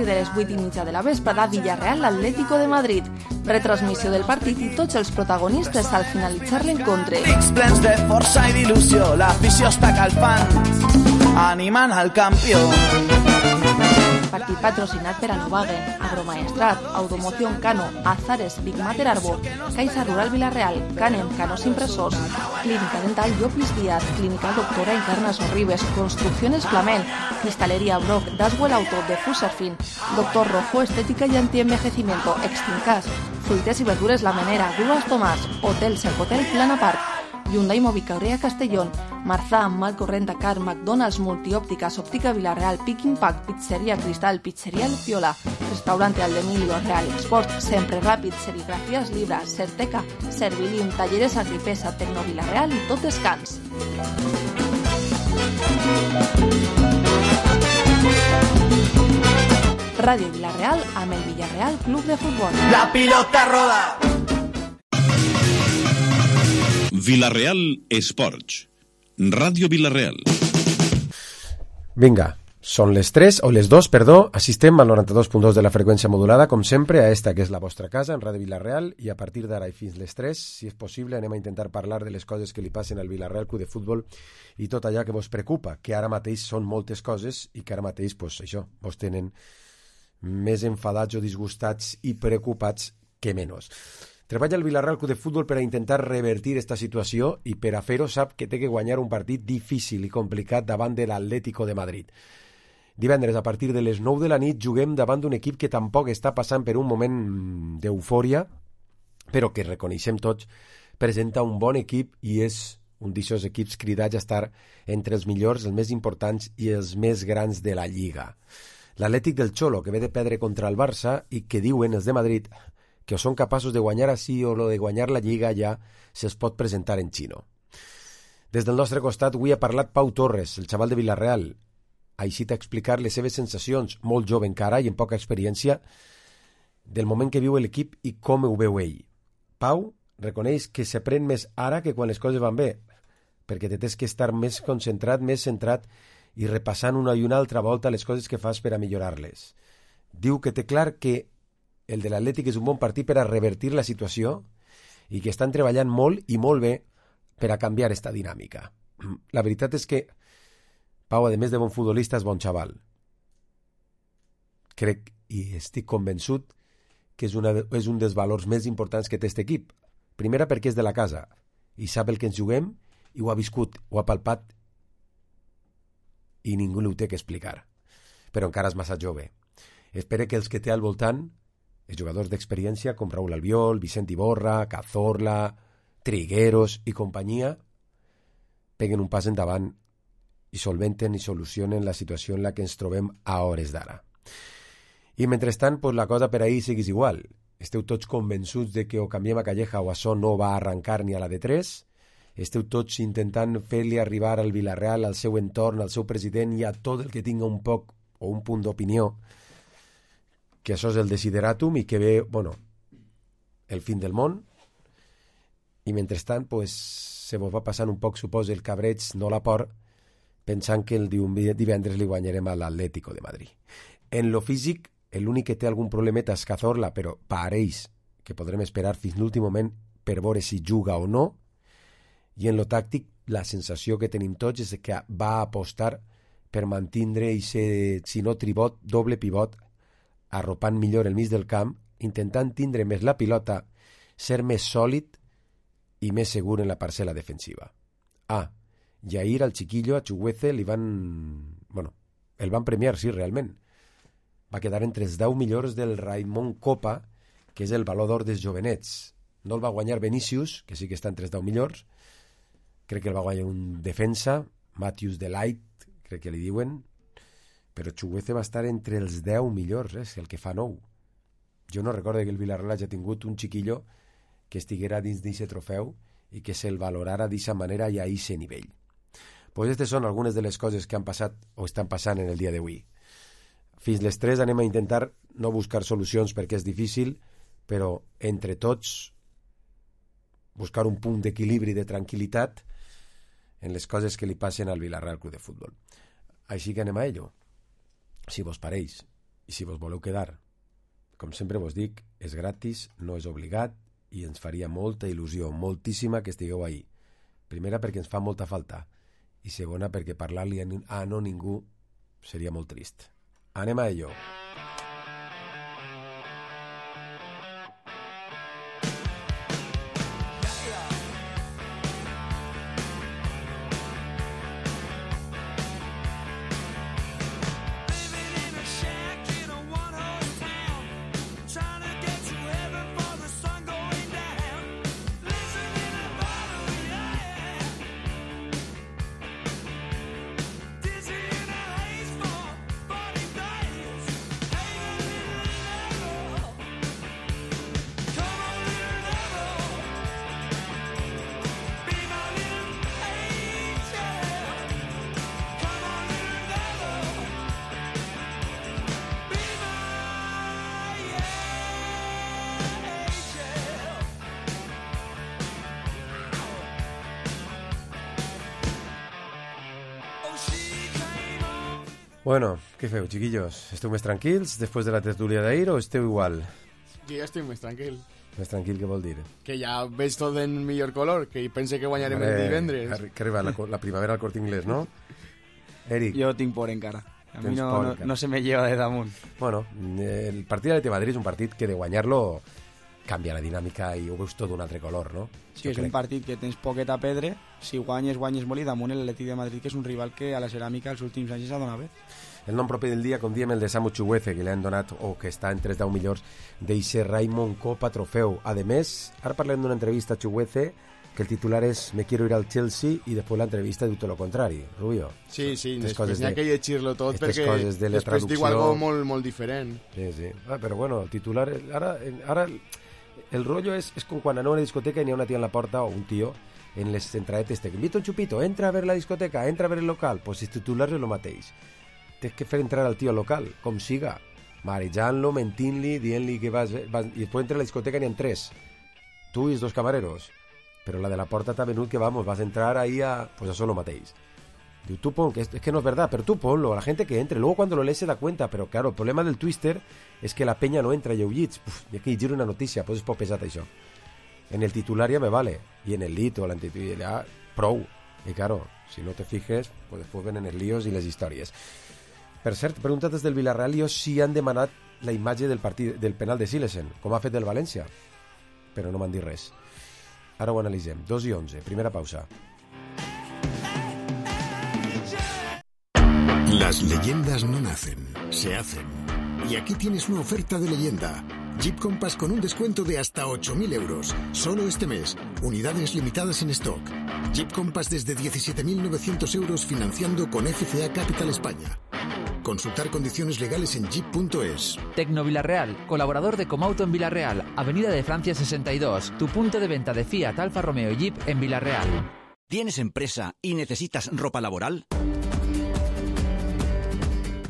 de les 8:30 de la vesprada, Villarreal Atlético de Madrid. Retransmissió del partit i tots els protagonistes al finalitzar l'encontre. Pics plens de força i d'il·lusió, l'afició està calfant, animant al campió. Partit patrocinat per Anovagen, Agromaestrat, Automoción Cano, Azares, Big Mater Arbo, Caixa Rural Villarreal, Canem, Canos Impresors, Clínica Dental Llopis Díaz, Clínica Doctora Encarna Sorribes, Construcciones Flamel, Cristalería Brock, Daswell Auto, de Fuserfin, Doctor Rojo, Estética y Antienvejecimiento, Extincas, Fruites y Verduras La Menera, Grúas Tomàs, Hotel Cercotel Plana Park, Hyundai Mobicaurrea Castellón, Marzà, Malcorrent Dakar, McDonald's, Multiópticas, Óptica Villarreal, Pick Impact, Pizzería Cristal, Pizzería Luciola, Restaurante Aldemilio, Real Export, Sempre Ràpid, Serigrafías Libra, Certeca, Servilim, Talleres Agripesa, Tecno Villarreal i tot descans. Ràdio Villarreal amb el Villarreal Club de Futbol. La pilota roda! Villarreal Esports. Ràdio Villarreal. Vinga, són les 3, o les 2, perdó, assistem al 92.2 de la freqüència modulada, com sempre, a esta que és la vostra casa, en Ràdio Villarreal, i a partir d'ara i fins les 3, si és possible, anem a intentar parlar de les coses que li passen al Villarreal Club de Futbol i tot allò que vos preocupa, que ara mateix són moltes coses i que ara mateix, pues, això, vos tenen més enfadats o disgustats i preocupats que menys. Treballa el Villarreal Club de Futbol per a intentar revertir esta situació i per a fer-ho sap que té que guanyar un partit difícil i complicat davant de l'Atlético de Madrid. Divendres, a partir de les 9 de la nit, juguem davant d'un equip que tampoc està passant per un moment d'eufòria, però que, reconeixem tots, presenta un bon equip i és un d'aquests equips cridats a estar entre els millors, els més importants i els més grans de la Lliga. L'Atlètic del Cholo, que ve de perdre contra el Barça i que diuen els de Madrid que o són capaços de guanyar així o lo de guanyar la Lliga ja se'ls pot presentar en xino. Des del nostre costat avui ha parlat Pau Torres, el xaval de Villarreal. Així t'ha explicat les seves sensacions, molt jove encara i amb poca experiència, del moment que viu l'equip i com ho veu ell. Pau reconeix que s'aprèn més ara que quan les coses van bé, perquè te tens que estar més concentrat, més centrat i repassant una i una altra volta les coses que fas per a millorar-les. Diu que té clar que el de l'Atlètic és un bon partit per a revertir la situació i que estan treballant molt i molt bé per a canviar esta dinàmica. La veritat és que Pau, a més de bon futbolista, és bon xaval. Crec i estic convençut que és un dels valors més importants que té aquest equip. Primera, perquè és de la casa i sap el que ens juguem i ho ha viscut, ho ha palpat i ningú li ho té que explicar. Però encara és massa jove. Espero que els que té al voltant, els jugadors d'experiència com Raúl Albiol, Vicent Iborra, Cazorla, Trigueros i companyia, peguen un pas endavant i solventen i solucionen la situació en la que ens trobem a hores d'ara. I mentrestant, pues, la cosa per ahir seguís igual. Esteu tots convençuts de que o canviem a Calleja o això no va arrencar ni a la de 3. Esteu tots intentant fer-li arribar al Villarreal, al seu entorn, al seu president i a tot el que tinga un poc o un punt d'opinió que això és el desideratum i que ve, bueno, el fin del món. I mentrestant, pues, se vos va passant un poc, suposo, el cabreig, no la por, pensant que el divendres li guanyarem a l'Atlético de Madrid. En lo físic, l'únic que té algun problemeta és Cazorla, però pareix que podrem esperar fins l'últim moment per veure si juga o no. I en lo tàctic, la sensació que tenim tots és que va apostar per mantindre i ser, si no tribot, doble pivot, arropant millor el mig del camp, intentant tindre més la pilota, ser més sòlid i més segur en la parcel·la defensiva. I ahir al chiquillo, a Chuguece, el van premiar, sí, realment. Va quedar entre els 10 millors del Raimon Copa, que és el Valor d'Or dels jovenets. No el va guanyar Vinícius, que sí que està entre els 10 millors. Crec que el va guanyar un defensa, Matthews Delight, crec que li diuen, però Chuguece va estar entre els 10 millors, el que fa 9. Jo no recordo que el Villarreal hagi tingut un chiquillo que estiguera dins d'aquest trofeu i que se'l valorara d'aquesta manera i a aquest nivell. Pues aquestes són algunes de les coses que han passat o estan passant en el dia d'avui. Fins les 3 anem a intentar no buscar solucions perquè és difícil, però entre tots buscar un punt d'equilibri, de tranquil·litat en les coses que li passen al Villarreal Club de Futbol. Així que anem a ello, si vos pareix. I si vos voleu quedar, com sempre vos dic, és gratis, no és obligat, i ens faria molta il·lusió, moltíssima, que estigueu ahí. Primera, perquè ens fa molta falta, i segona, perquè parlar-li a no ningú seria molt trist. Anem a ello. Bueno, què feu, chiquillos? Esteu més tranquils després de la tertúlia d'ahir o esteu igual? Jo ja estic més tranquil. Més tranquil, què vol dir? Que ja veig tot en millor color, que pense que guanyarem el divendres. Que arriba la primavera al Corte Inglés, no? Eric. Jo tinc por encara. A mi no se me lleva de damunt. Bueno, el partit de l'Atleti Madrid és un partit que de guanyar-lo canvia la dinàmica i ho veus tot d'un altre color, no? Sí, és un partit que tens poquet a perdre, si guanyes molt i damunt l'Atleti de Madrid, que és un rival que a la ceràmica els últims anys s'ha donat bé. El nom propi del dia, com diem, el de Samu Chukwueze, que li han donat, o que està entre els 10 millors, d'eixe Raymond Copa Trofeu. A més, ara parlem d'una entrevista a Chukwueze, que el titular és Me quiero ir al Chelsea, i després l'entrevista diu tot lo contrari. Rubio. Sí, després n'hi ha que llegir-lo tot, perquè després diu algo molt diferent. Sí. Però bueno, el titular... Ara el rollo és com quan anem a una discoteca i n'hi ha una tia en la porta, o un tio, en les entradetes, te invito un chupito, entra a ver la discoteca, entra a ver el local. Pues el titular és el mateix. Tens que fer entrar al tio al local, com siga, marejant-lo, mentint-li, dient-li que vas... I després entra a la discoteca n'hi ha 3, tu i els 2 camareros, però la de la porta t'ha venut que vas entrar ahí a... Pues eso lo mateix. Diu, tú pon, que es que no es verdad, pero tú ponlo, a la gente que entre, luego cuando lo lees se da cuenta, pero claro, el problema del Twister es que la peña no entra i ho llits, hi ha que llegir una notícia, pues és poc pesat això. En el titular ja me vale, y en el lit o l'antitular ja prou, y claro, si no te fijes, pues después venen els líos i les històries. Per cert, preguntat des del Villarreal si han demanat la imatge del penal de Silesen, com ha fet el València, però no m'han dit res. Ara ho analitzem. 2:11, primera pausa. Las leyendas no nacen, se hacen. Y aquí tienes una oferta de leyenda. Jeep Compass con un descuento de hasta 8.000 euros. Solo este mes. Unidades limitadas en stock. Jeep Compass desde 17.900 euros financiando con FCA Capital España. Consultar condiciones legales en jeep.es. Tecno Villarreal, colaborador de Comauto en Villarreal, Avenida de Francia 62, tu punto de venta de Fiat, Alfa Romeo y Jeep en Villarreal. ¿Tienes empresa y necesitas ropa laboral?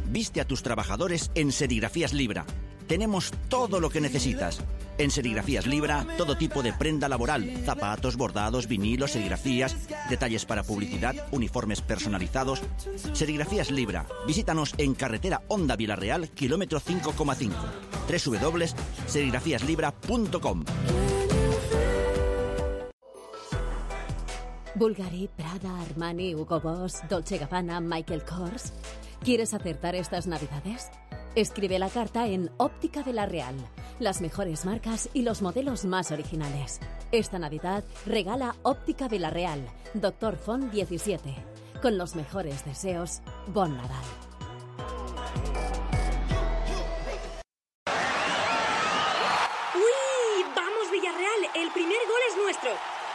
Viste a tus trabajadores en Serigrafías Libra. Tenemos todo lo que necesitas. En Serigrafías Libra, todo tipo de prenda laboral, zapatos, bordados, vinilos, serigrafías, detalles para publicidad, uniformes personalizados. Serigrafías Libra. Visítanos en carretera Honda Villarreal, kilómetro 5,5. www.serigrafiaslibra.com. Bulgari, Prada, Armani, Hugo Boss, Dolce & Gabbana, Michael Kors. ¿Quieres acertar estas Navidades? Escribe la carta en Óptica Villarreal. Las mejores marcas y los modelos más originales. Esta Navidad regala Óptica Villarreal, Doctor Font 17. Con los mejores deseos, Bon Nadal. ¡Uy! ¡Vamos, Villarreal! ¡El primer gol es nuestro!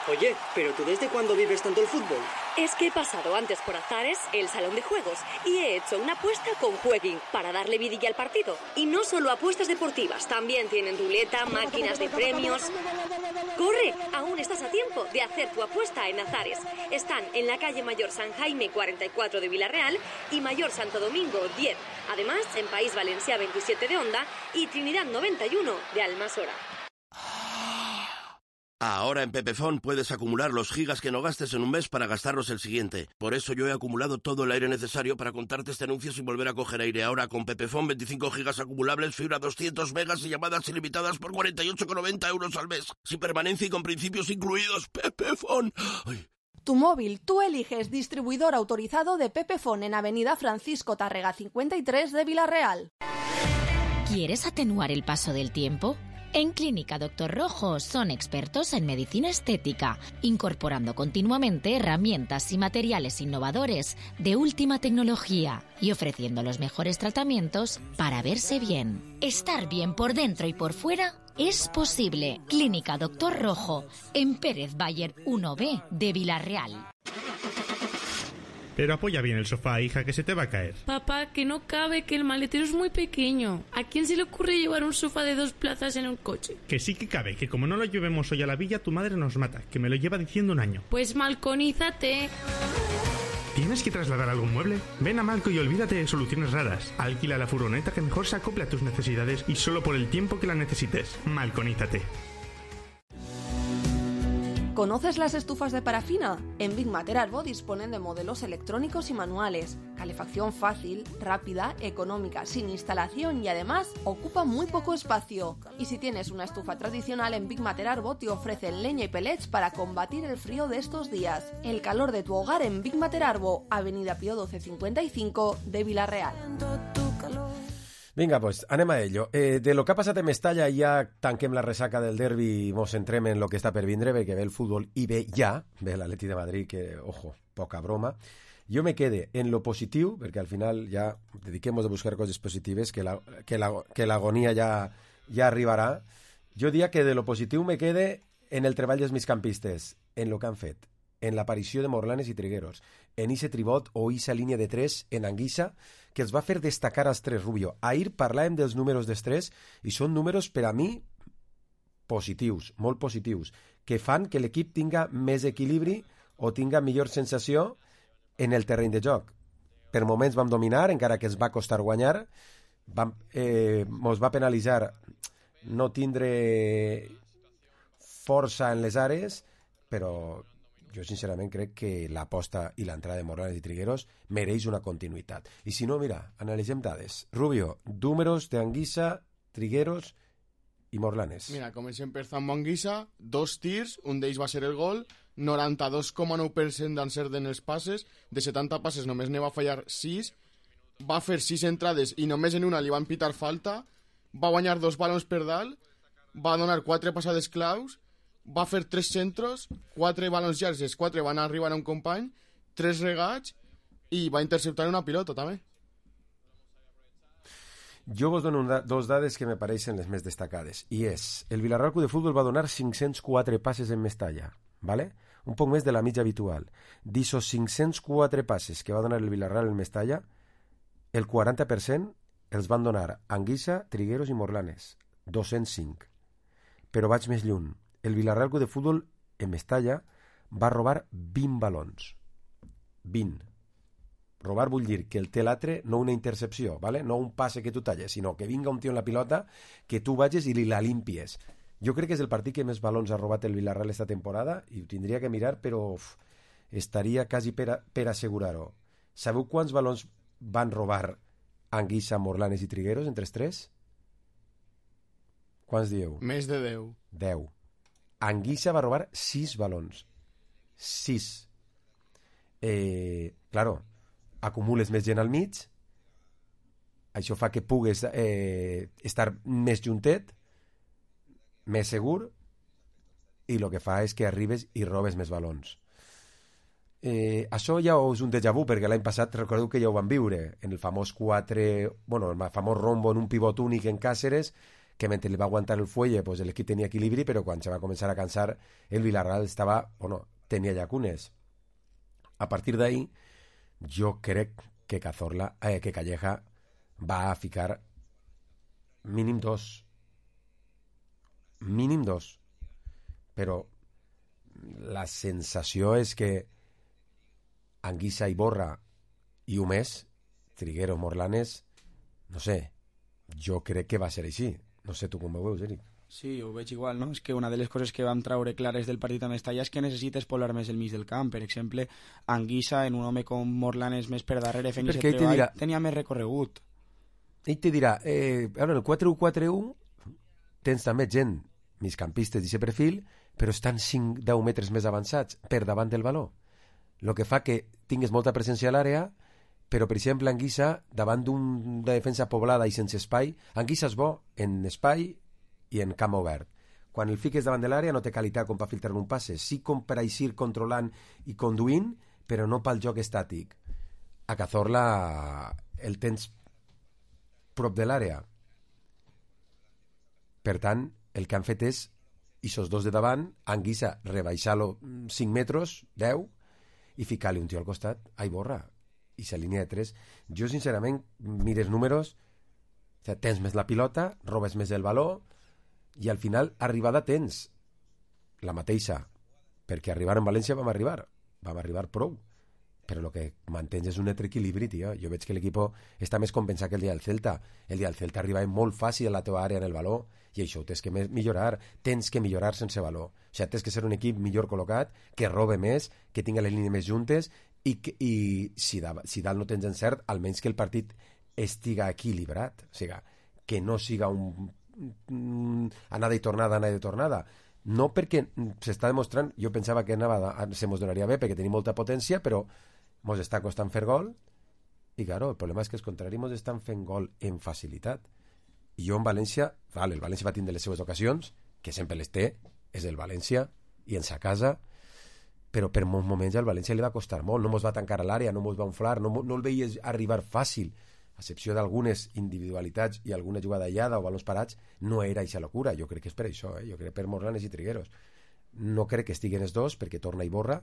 Oye, ¿pero tú desde cuándo vives tanto el fútbol? Es que he pasado antes por Azares, el salón de juegos, y he hecho una apuesta con Jueguin para darle vidilla al partido. Y no solo apuestas deportivas, también tienen ruleta, máquinas de premios. ¡Corre! Aún estás a tiempo de hacer tu apuesta en Azares. Están en la calle Mayor San Jaime 44 de Villarreal y Mayor Santo Domingo 10. Además, en País Valencià 27 de Onda y Trinidad 91 de Almasora. Ahora en Pepefon puedes acumular los gigas que no gastes en un mes para gastarlos el siguiente. Por eso yo he acumulado todo el aire necesario para contarte este anuncio sin volver a coger aire. Ahora con Pepefon 25 gigas acumulables, fibra 200 megas y llamadas ilimitadas por 48,90 euros al mes. Sin permanencia y con principios incluidos. Pepefon. Ay. Tu móvil, tú eliges distribuidor autorizado de Pepefon en Avenida Francisco Tárrega 53 de Vila-real. ¿Quieres atenuar el paso del tiempo? En Clínica Doctor Rojo son expertos en medicina estética, incorporando continuamente herramientas y materiales innovadores de última tecnología y ofreciendo los mejores tratamientos para verse bien. Estar bien por dentro y por fuera es posible. Clínica Doctor Rojo, en Pérez Bayer 1B de Vila-real. Pero apoya bien el sofá, hija, que se te va a caer. Papá, que no cabe, que el maletero es muy pequeño. ¿A quién se le ocurre llevar un sofá de 2 plazas en un coche? Que sí que cabe, que como no lo llevemos hoy a la villa, tu madre nos mata, que me lo lleva diciendo un año. Pues malconízate. ¿Tienes que trasladar algún mueble? Ven a Malco y olvídate de soluciones raras. Alquila la furgoneta que mejor se acople a tus necesidades y solo por el tiempo que la necesites. Malconízate. ¿Conoces las estufas de parafina? En Big Matter Arbo disponen de modelos electrónicos y manuales, calefacción fácil, rápida, económica, sin instalación y además ocupa muy poco espacio. Y si tienes una estufa tradicional, en Big Matter Arbo te ofrecen leña y pellets para combatir el frío de estos días. El calor de tu hogar en Big Matter Arbo, Avenida Pío 1255 de Vila-real. Vinga, pues anem a ello. De lo que ha passat a Mestalla ja tanquem la ressaca del derbi i mos centrem en lo que està per vindre, perquè ve el futbol i ve ja, ve l'Atleti de Madrid, que, ojo, poca broma. Jo me quede en lo positiu, perquè al final ja dediquem-nos a buscar coses positives, que l'agonia ja arribarà. Jo diria que de lo positiu me quede en el treball dels migcampistes, en lo que han fet, en l'aparició de Morlanes i Trigueros, en ese tribot o esa línia de 3 en Anguissa, que els va fer destacar als tres, Rubio. Ahir parlàvem dels números dels tres i són números per a mi positius, molt positius, que fan que l'equip tinga més equilibri o tinga millor sensació en el terreny de joc. Per moments vam dominar, encara que ens va costar guanyar, mos va penalitzar no tindre força en les àrees, però jo sincerament crec que l'aposta i l'entrada de Morlanes i Trigueros mereix una continuïtat. I si no, mira, analitzem dades. Rubio, números d'Anguissa, Trigueros i Morlanes. Mira, comencem per Zambo Anguissa, 2 tirs, un d'ells va ser el gol, 92,9% d'encert en els passes, de 70 passes només ne va fallar 6, va fer 6 entrades i només en una li van pitar falta, va guanyar 2 balons per dalt, va donar 4 passades claus, va fer 3 centros, 4 balons llargs, els 4 van arribar a un company, 3 regats i va interceptar una pilota també. Jo vos dono dos dades que me pareixen les més destacades, i és, el Villarreal Club de Futbol va donar 504 passes en Mestalla, ¿vale? Un poc més de la mitja habitual. D'esos 504 passes que va donar el Villarreal en Mestalla, el 40% els van donar Anguissa, Trigueros i Morlanes, 205. Però vaig més lluny. El Villarreal Club de Futbol en Mestalla va robar 20 balons. 20. Robar vull dir que el té l'altre, no una intercepció, ¿vale? No un passe que tu talles, sinó que vinga un tio en la pilota, que tu vagis i li la limpies. Jo crec que és el partit que més balons ha robat el Villarreal esta temporada i ho tindria que mirar, però estaria quasi per assegurar-ho. Sabeu quants balons van robar Anguissa, Morlanes i Trigueros entre els tres? Quants dieu? Més de 10. 10. Anguissa va robar 6 balons. 6. Claro, acumules més gent al mig, això fa que pugues estar més juntet, més segur, i el que fa és que arribes i robes més balons. Això ja és un déjà vu, perquè l'any passat recordeu que ja ho van viure en el famós 4, bueno, el famós rombo en un pivot únic en Càceres, que mentre li va aguantar el fuelle pues l'equip tenia equilibri, però quan se va començar a cansar el Villarreal tenia llacunes. A partir d'ahí jo crec que que Calleja va a ficar mínim 2, però la sensació és que Anguissa i Borra i un més, Trigueros, Morlanes, no sé, jo crec que va ser així. No sé tu com ho veus, Eric. Sí, ho veig igual, no? És que una de les coses que vam traure clares del partit amb Estalla és que necessites poblar més el mig del camp. Per exemple, Anguissa, en un home com Morlanes més per darrere fent aquest treball, tenia més recorregut. Ell te dirà, en el 4-1-4-1 tens també gent, migcampistes d'aquest perfil, però estan 5-10 metres més avançats per davant del valor. El que fa que tingues molta presència a l'àrea, però, per exemple, Anguissa, davant d'una defensa poblada i sense espai, Anguissa és bo en espai i en camp obert. Quan el fiques davant de l'àrea no té qualitat com per filtrar un passe, sí com per eixir controlant i conduint, però no pel joc estàtic. A Cazorla el tens prop de l'àrea. Per tant, el que han fet és ixos dos de davant, Anguissa rebaixar-lo 5 metres, 10, i ficar-li un tio al costat, borra, i s'alinea de 3. Jo, sincerament, mires números, tens més la pilota, robes més el valor, i al final arribada tens la mateixa, perquè arribar en València vam arribar prou, però el que mantens és un altre equilibri, tio. Jo veig que l'equip està més compensat que el dia del Celta. El dia del Celta arribava molt fàcil a la teva àrea en el valor, i això ho tens que millorar, sense valor. O sigui, tens que ser un equip millor col·locat, que robe més, que tinga les línies més juntes, i si dalt no tens encert, almenys que el partit estiga equilibrat, o sigui, que no siga un anada i tornada, no perquè s'està demostrant, jo pensava que se mos donaria bé perquè tenim molta potència, però mos està costant fer gol, i claro, el problema és que els contraris mos estan fent gol en facilitat. I jo en València, el València va tindre les seves ocasions, que sempre les té, és el València i en sa casa, però per molts moments al València li va costar molt, no mos va tancar a l'àrea, no mos va inflar, no el veies arribar fàcil, a excepció d'algunes individualitats i alguna jugada aïllada o balons parats, no era eixa locura. Jo crec que és per això, jo crec per Morlanes i Trigueros. No crec que estiguen els dos, perquè torna i borra,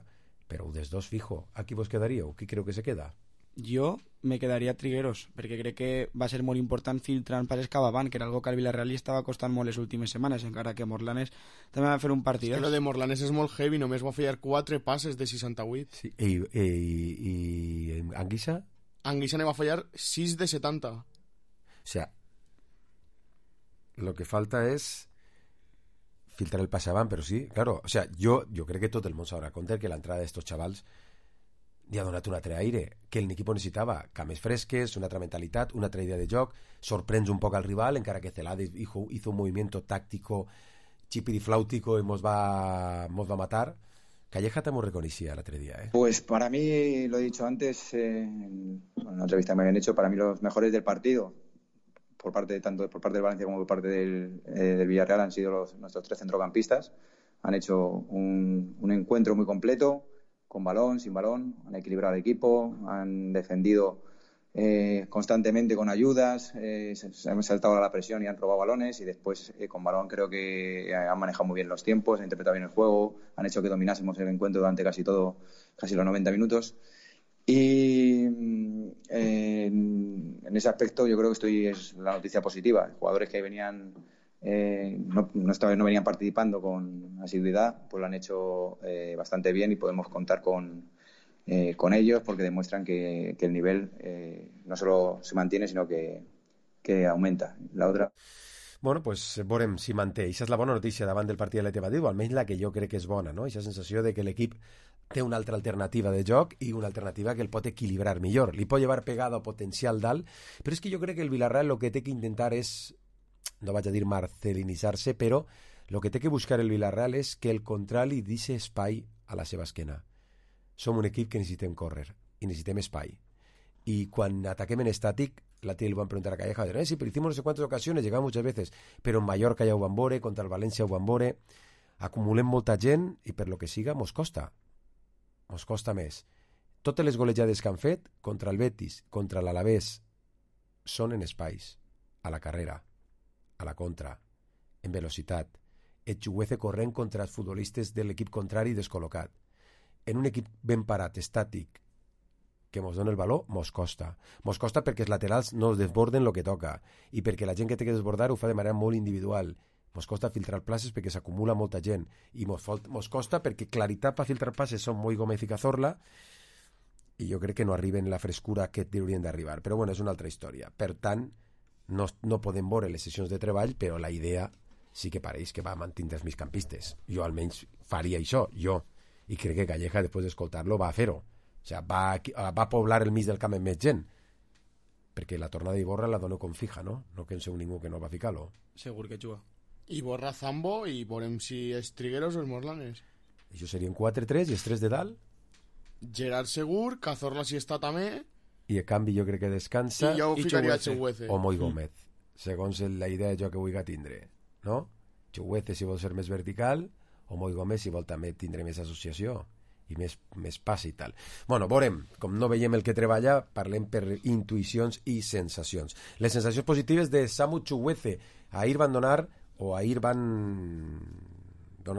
però un dels dos fijo. A qui vos quedaríeu? Qui creu que se queda? Jo me quedaria Trigueros, perquè crec que va ser molt important filtrant passes cap avant, que era algo que al Villarreal li estava costant molt les últimes setmanes, encara que Morlanes també va fer un partit. És que lo de Morlanes és molt heavy, només va fallar 4 passes de 68. Sí. I Anguissa? Anguissa ne va fallar 6 de 70. O sea, lo que falta es filtrar el pase avant, però sí, claro, o sea, jo crec que tot el món s'haurà compte que l'entrada d'estos xavals li ha donat un altre aire, que l'equip necessitava cames fresques, una altra mentalitat, una altra idea de joc, sorprens un poc al rival, encara que Celades hizo un movimiento táctico chipirifláutico y nos va a matar. Calleja te hemos reconocido el otro día, ¿eh? Pues para mí, lo he dicho antes, en una entrevista que me habían hecho, para mí los mejores del partido, tanto por parte del Valencia como por parte del Villarreal, han sido nuestros 3 centrocampistas. Han hecho un encuentro muy completo, con balón, sin balón, han equilibrado el equipo, han defendido constantemente con ayudas, se han saltado a la presión y han robado balones, y después con balón creo que han manejado muy bien los tiempos, han interpretado bien el juego, han hecho que dominásemos el encuentro durante casi los 90 minutos. Y en ese aspecto yo creo que es la noticia positiva. Jugadores que venían no venían participando con asiduidad, pues lo han hecho bastante bien, y podemos contar con ellos, porque demuestran que el nivel no solo se mantiene, sino que aumenta. La otra... Bueno, pues veurem si manté. Això és la bona notícia davant del partit de l'Atlètic Madrid, o almenys la que jo crec que és bona, no? Aquesta sensació de que l'equip té una altra alternativa de joc i una alternativa que el pot equilibrar millor. Li pot llevar pegada o potencial dalt, però és que jo crec que el Villarreal el que té que intentar és, no vaig a dir marcelinitzar-se, però el que té que buscar el Villarreal és que el contrari deixi espai a la seva esquena. Som un equip que necessitem córrer i necessitem espai. Y cuando ataquem en estàtic, la tía le van a preguntar a Calleja, sí, pero hicimos no sé cuántas ocasiones, llegamos muchas veces, pero en Mallorca ja ho van veure, contra el València ho van veure, acumulem molta gent i per lo que siga mos costa més. Totes les golejades que han fet contra el Betis, contra l'Alavés, són en espais, a la carrera, a la contra, en velocitat, Echuguece corrent contra els futbolistes de l'equip contrari descol·locat. En un equip ben parat, estàtic, que mos dona el valor, mos costa. Mos costa perquè els laterals no es desborden el que toca, i perquè la gent que té que desbordar ho fa de manera molt individual. Mos costa filtrar places perquè s'acumula molta gent, i mos costa perquè claritat per filtrar passes són molt Gómez i Cazorla, i jo crec que no arriben la frescura que haurien d'arribar. Però bueno, és una altra història. Per tant, no podem veure les sessions de treball, però la idea sí que pareix que va mantindre els migcampistes. Jo almenys faria això, i crec que Calleja, després d'escoltar-lo, va a fer-ho. O sigui, va poblar el mig del camp amb més gent, perquè la tornada d'Iborra la dono com fija, no? No penseu ningú que no va ficar-lo. Segur que juga. Iborra Zambo i veurem si és Trigueros o els Morlanes. Això serien 4-3 i els 3 de dalt. Gerard segur, Cazorla si està també. I a canvi jo crec que descansa. I jo ficaria Chuguece. O Moi Gómez, segons la idea de joc que vulgui tindre, no? Chuguece si vol ser més vertical, o Moi Gómez si vol també tindre més associació i més pas i tal. Bueno, veurem, com no veiem el que treballa, parlem per intuïcions i sensacions. Les sensacions positives de Samu Chuguece. Ahir van donar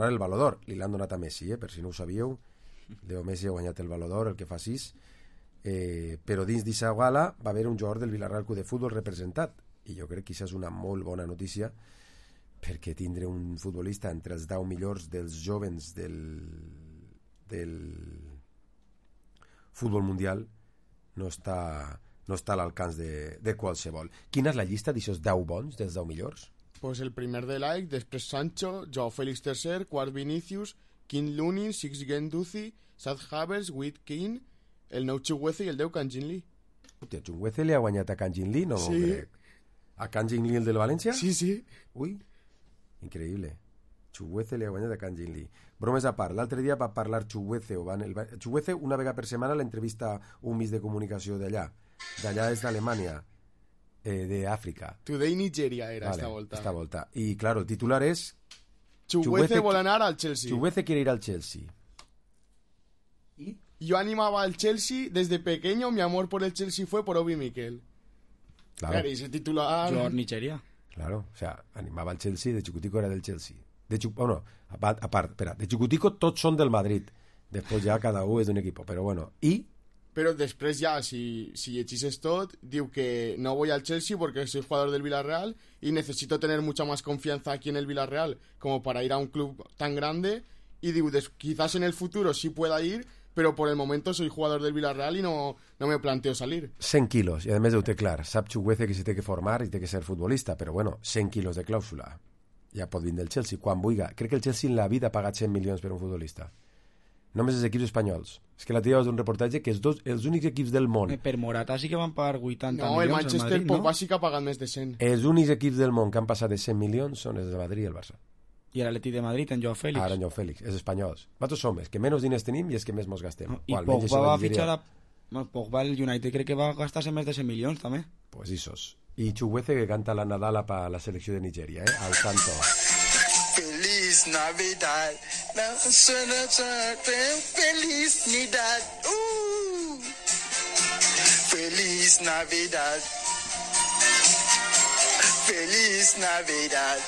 el Baló d'Or. Li l'han donat a Messi, per si no ho sabíeu. Leo Messi ha guanyat el Baló d'Or, el que fa 6. Però dins d'aquesta gala va haver un jugador del Villarreal Club de Futbol representat. I jo crec que això és una molt bona notícia, perquè tindre un futbolista entre els 10 millors dels jovens del futbol mundial no està a l'alcance de qualsevol. Quina és la llista d'aixòs 10 bons, dels 10 millors? Pues el primer de Like, després Sancho, Joao Félix III, quart Vinícius, quint Lunin, six Guendouzi, Sad Havertz, Witt Keane, el nou Chuguece i el 10 Kang Jin Lee. Hòstia, Chuguece li ha guanyat a Kang Jin Lee, no? Sí. A Kang Jin Lee, el del València? Sí, sí. Ui, increïble. Chuguece li ha guanyat a Kang Jin Lee. Bromes a part, l'altre dia va parlar Chuguece, Chuguece una vegada per setmana l'entrevista un mig de comunicació d'allà. D'allà és d'Alemanya, d'Àfrica. Today Nigeria era vale, esta volta. Y claro, el titular es Chuguece vol anar al Chelsea. Chuguece quiere ir al Chelsea. ¿Y? Yo animaba al Chelsea desde pequeño, mi amor por el Chelsea fue por Obi Mikel. Claro. Y ese titular... Jugador Nigeria. Claro, o sea, animava al Chelsea, de Chicutico era del Chelsea. A part, espera, de Chicutico tots són del Madrid. Després ja cada un és d'un equip, però bueno. I... Pero después ya, si hechises tot, digo que no voy al Chelsea porque soy jugador del Villarreal y necesito tener mucha más confianza aquí en el Villarreal como para ir a un club tan grande. Y digo, quizás en el futuro sí pueda ir, pero por el momento soy jugador del Villarreal y no me planteo salir. 100 quilos, i a més ho té clar. Sap Chuguece que s'hi té que formar i té que ser futbolista, però bueno, 100 quilos de clàusula. Ja pot vindre del Chelsea, quan vulgui. Crec que el Chelsea en la vida ha pagat 100 milions per un futbolista. Només els equips espanyols. És que la tia és un reportatge que els únics equips del món... Per Morata sí que van pagar 80 milions el Manchester al Madrid, Pogba sí que ha pagat més de 100. Els únics equips del món que han passat de 100 milions són els de Madrid i el Barça. I l'Atleti de Madrid, en Joao Félix. Ara en Joao Félix, els espanyols. Nosaltres som els que menys diners tenim i els que més mos gastem. I Pogba va fitxar Pogba el United, crec que va gastar-se més de 100 milions també. Pues isos. I Chuguece que canta la Nadala pa la selecció de Nigeria, al canto. Feliz Navidad, Feliz Navidad, Feliz Navidad, Feliz Navidad,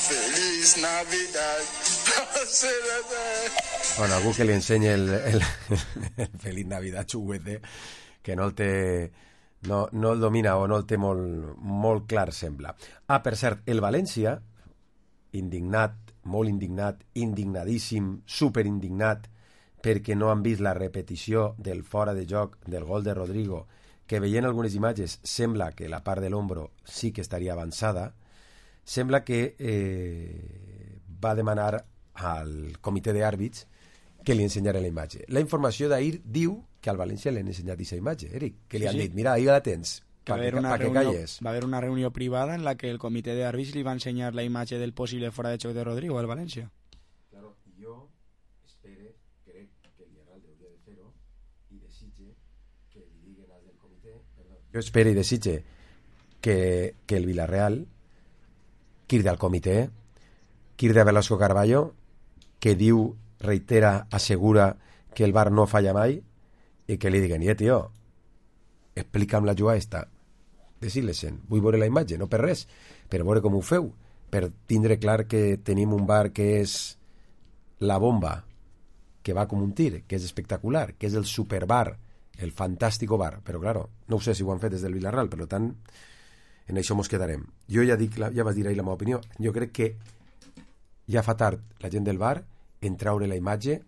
Feliz Navidad. Bueno, algú que li ensenyi el Feliz Navidad Chuguece, que no el té... No el domina o no el té molt clar, sembla. Per cert, el València, indignat, molt indignat, indignadíssim, superindignat, perquè no han vist la repetició del fora de joc del gol de Rodrigo, que veient algunes imatges sembla que la part de l'ombro sí que estaria avançada, sembla que va demanar al comitè d'àrbits que li ensenyara la imatge. La informació d'ahir diu que al València li han ensenyat aquesta imatge, Eric, que li han dit, mira, ahí la tens, para que calles. Va haver una reunió privada en la que el comitè d'àrbits li va ensenyar la imatge del possible fora de xoc de Rodrigo al València. Claro, jo crec que el Villarreal hauria de fer-ho i desitge que li diguen als del comitè... Jo espero i desitge que el Villarreal crida al comitè, crida a Velasco Carballo, que diu, reitera, assegura que el VAR no falla mai, i que li diguen, tio, explica'm la jugada esta, decir-les-en, vull veure la imatge, no per res, per veure com ho feu, per tindre clar que tenim un VAR que és la bomba, que va com un tir, que és espectacular, que és el superVAR, el fantàstico VAR, però claro, no ho sé si ho han fet des del Villarreal, per tant, en això mos quedarem. Jo ja vaig dir ahir la meva opinió, jo crec que ja fa tard la gent del VAR en traure la imatge,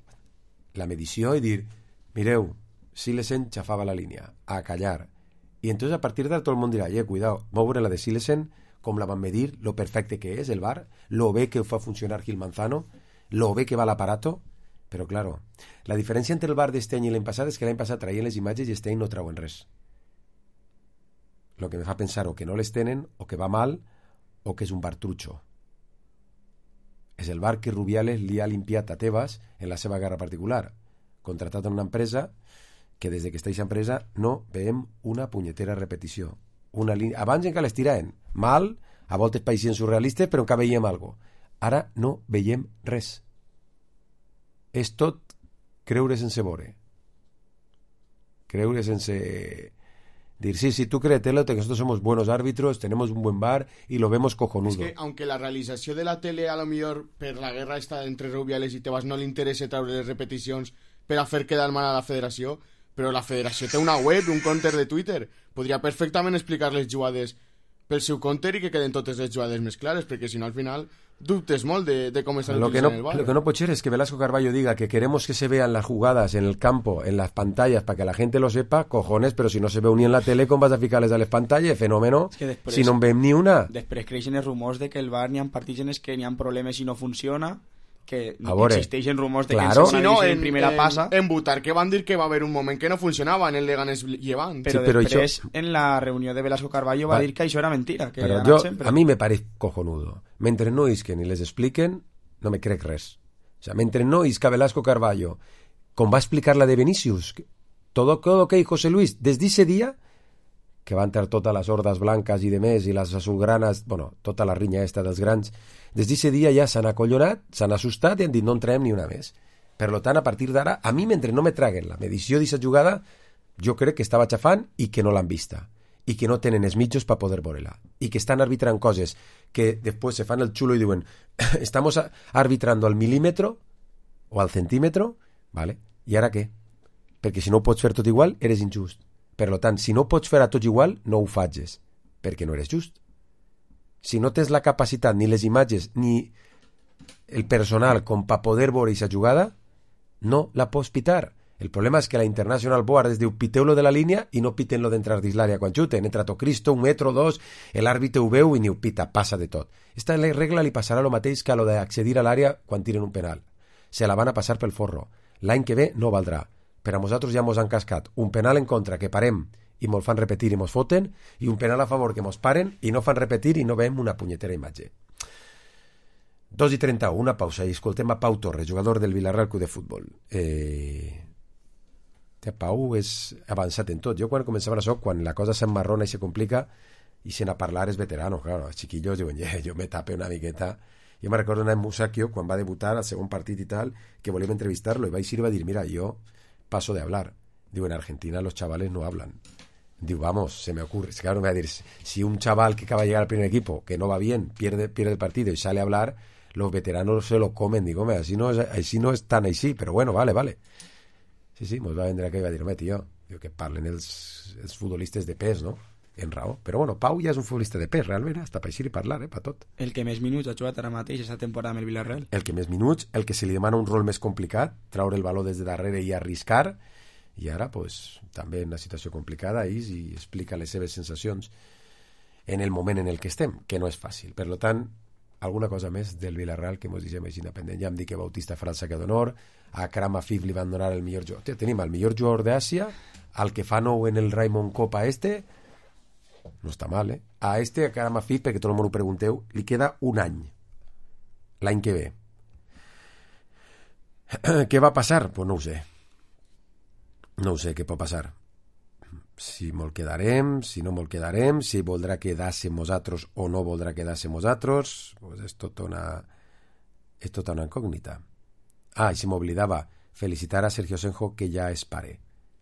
la medició i dir, mireu, Silesen xafava la línia, a callar. I entonces a partir d'ara tot el món dirà, cuidao, va veure la de Silesen com la van medir, lo perfecte que és el VAR, lo bé que fa funcionar Gil Manzano, lo bé que va l'aparato, però claro, la diferència entre el VAR d'este any i l'any passat és que l'any passat traien les imatges i este any no trauen res. Lo que me fa pensar o que no les tenen, o que va mal, o que és un VAR trucho. És el VAR que Rubiales li ha limpiat a Tebas en la seva guerra particular, contratat en una empresa que des que està aquesta empresa no veiem una punyetera repetició. Una línia... Abans encara les tiraven mal, a voltes païsien surrealistes, però encara veiem alguna cosa. Ara no veiem res. És tot creure sense veure. Creure sense... Dir, sí, tú créetelo, que nosotros somos buenos árbitros, tenemos un buen VAR y lo vemos cojonudo. Es que, aunque la realizació de la tele a lo millor per la guerra esta entre Rubiales i Tebas no li interessa treure les repeticions per a fer quedar mal a la federació, però la federació té una web, un counter de Twitter. Podria perfectament explicar les jugades pel seu counter i que queden totes les jugades més clares, perquè si no al final dubtes molt de com estan utilitzant el VAR. Lo que no pot ser es que Velasco Carballo diga que queremos que se vean las jugadas en el campo, en las pantallas, para que la gente lo sepa, cojones, pero si no se veu ni en la tele, com vas a ficar-les a les pantalles? Fenómeno, es que després, si no en veiem ni una. Després creixen els rumors de que el VAR n'hi ha partits en els que n'hi ha problemes i no funciona, que existeixen rumors de claro. que en primera passa. En Butar, que van dir que va haver un moment que no funcionava en el Leganés Llevant. Però, sí, però després, això... en la reunió de Velasco Carballo va dir que això era mentira. Que però a mi me pareix cojonudo. Mentre no isquen i les expliquen, no me crec res. O sea, mentre no isca Velasco Carballo, com va explicar la de Vinicius, todo que José Luis, desde ese día, que va entrar totes les hordes blanques i de més, i les azulgranes, bueno, tota la rinya esta dels grans, des d'aquest dia ja s'han acollonat, s'han assustat i han dit no en traiem ni una més. Per tant, a partir d'ara, a mi, mentre no me traguen la medició d'aquesta jugada, jo crec que estava xafant i que no l'han vista, i que no tenen els mitjos per poder veure-la, i que estan arbitrant coses que després se fan el xulo i diuen estamos arbitrando al milímetro o al centímetro, ¿vale? I ara què? Perquè si no ho pots fer tot igual, eres injust. Per tant, si no pots fer a tots igual, no ho facis, perquè no eres just. Si no tens la capacitat, ni les imatges, ni el personal com per poder veure aquesta jugada, no la pots pitar. El problema és que la International Board es diu piteu-lo de la línia i no piten-lo d'entrar dins l'àrea quan xuten. Entra tot Cristo, 1 metro, 2, l'àrbitre ho veu i ni ho pita, passa de tot. Esta regla li passarà el mateix que a lo d'accedir a l'àrea quan tiren un penal. Se la van a passar pel forro. L'any que ve no valdrà. Per a nosaltres ja mos han cascat un penal en contra que parem i mos fan repetir i mos foten, i un penal a favor que mos paren i no fan repetir i no veiem una punyetera imatge. 2:31, una pausa i escoltem a Pau Torres, jugador del Villarreal Club de Futbol. Pau és avançat en tot. Jo quan començava això, quan la cosa s'emmarrona i se complica i se n'ha parlar és veterano, claro, els chiquillos diuen, jo me tape una miqueta. Jo me recordo anar en Musacchio quan va debutar al segon partit i tal, que volíem entrevistar-lo i vaig ir i va dir, mira, jo paso de hablar. Digo, en Argentina los chavales no hablan. Digo, vamos, se me ocurre. Claro, me va a decir, si un chaval que acaba de llegar al primer equipo, que no va bien, pierde el partido y sale a hablar, los veteranos se lo comen. Digo, así no es tan així, però bueno, vale. Sí, mos va vendre aquell i va dir, home, tio, que parlen els futbolistes de pes, no? En raó. Però bueno, Pau ja és un futbolista de pes, realment, hasta per eixir i parlar, per tot. El que més minuts ha jugat ara mateix aquesta temporada amb el Villarreal. El que més minuts, el que se li demana un rol més complicat, traure el baló des de darrere i arriscar, i ara, pues, també en una situació complicada, i explica les seves sensacions en el moment en el que estem, que no és fàcil. Per tant, alguna cosa més del Villarreal que mos deixem així independent. Ja em dic que Bautista farà el saque d'honor, a Akram Afif li van donar el millor jugador. Tenim el millor jugador d'Àsia, al que fa nou en el Raymond Copa no està mal, a Akram Afif, perquè tot el món ho pregunteu, li queda un any, l'any que ve. Què va passar? Pues no ho sé què pot passar. Si me'l quedarem, si no me'l quedarem, si voldrà quedar-se amb nosaltres o no voldrà quedar-se amb nosaltres, pues és tota una incògnita. I si m'oblidava, felicitar a Sergio Senjo, que ja és pare.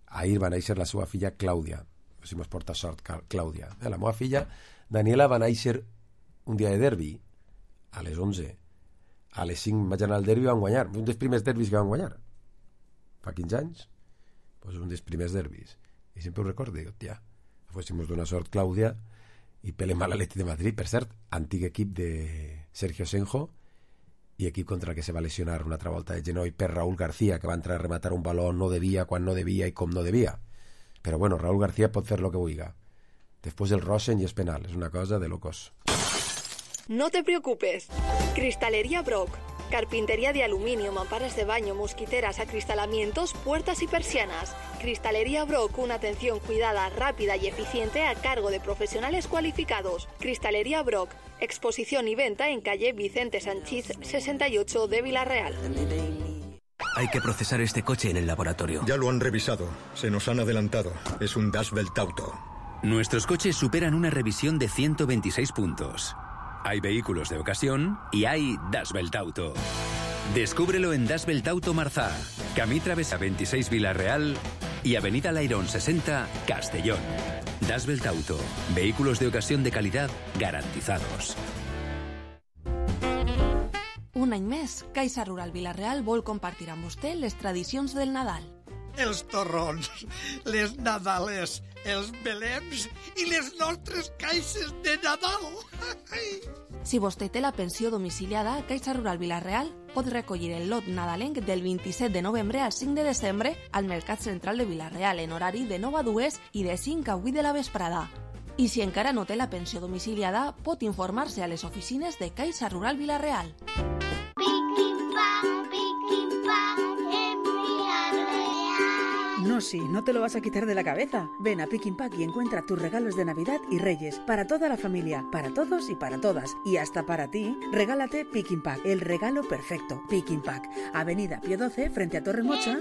Ahir va néixer la seva filla Clàudia. Si mos porta sort, Clàudia. La meva filla Daniela va néixer un dia de derbi, a les 11. A les 5 vaig anar al derbi i van guanyar. Un dels primers derbis que van guanyar. Fa 15 anys. Pues un dels primers derbis. I sempre ho recordo, dic, tia, fóssimos d'una sort Clàudia i pelem a l'Atleti de Madrid, per cert, antic equip de Sergio Senjo i equip contra el que se va lesionar una altra volta de genoll per Raúl García, que va entrar a rematar un baló no devia, quan no devia i com no devia. Però bueno, Raúl García pot fer lo que vulga. Después el Rosen y es penal. Es una cosa de locos. No te preocupes. Cristalería Brock. Carpintería de aluminio, mamparas de baño, mosquiteras, acristalamientos, puertas y persianas. Cristalería Brock, una atención cuidada, rápida y eficiente a cargo de profesionales cualificados. Cristalería Brock, exposición y venta en calle Vicente Sanchís 68 de Villarreal. Hay que procesar este coche en el laboratorio. Ya lo han revisado. Se nos han adelantado. Es un Dashbelt Auto. Nuestros coches superan una revisión de 126 puntos. Hay vehículos de ocasión y hay Dashbelt Auto. Descúbrelo en Dashbelt Auto Marzá, Camí Travesa 26 Villarreal y Avenida Lairón 60 Castellón. Dashbelt Auto, vehículos de ocasión de calidad garantizados. Un any més, Caixa Rural Vila-real vol compartir amb vostè les tradicions del Nadal. Els torrons, les nadales, els belems i les nostres caixes de Nadal. Si vostè té la pensió domiciliada, Caixa Rural Vila-real pot recollir el lot nadalenc del 27 de novembre al 5 de desembre al Mercat Central de Vila-real en horari de 9 a 2 i de 5 a 8 de la vesprada. I si encara no té la pensió domiciliada, pot informar-se a les oficines de Caixa Rural Vila-real. No, sí, no te lo vas a quitar de la cabeza. Ven a Pick n Pack y encuentra tus regalos de Navidad y Reyes. Para toda la familia, para todos y para todas. Y hasta para ti, regálate Pick n Pack, el regalo perfecto. Pick n Pack, Avenida Pío 12, frente a Torre Mocha.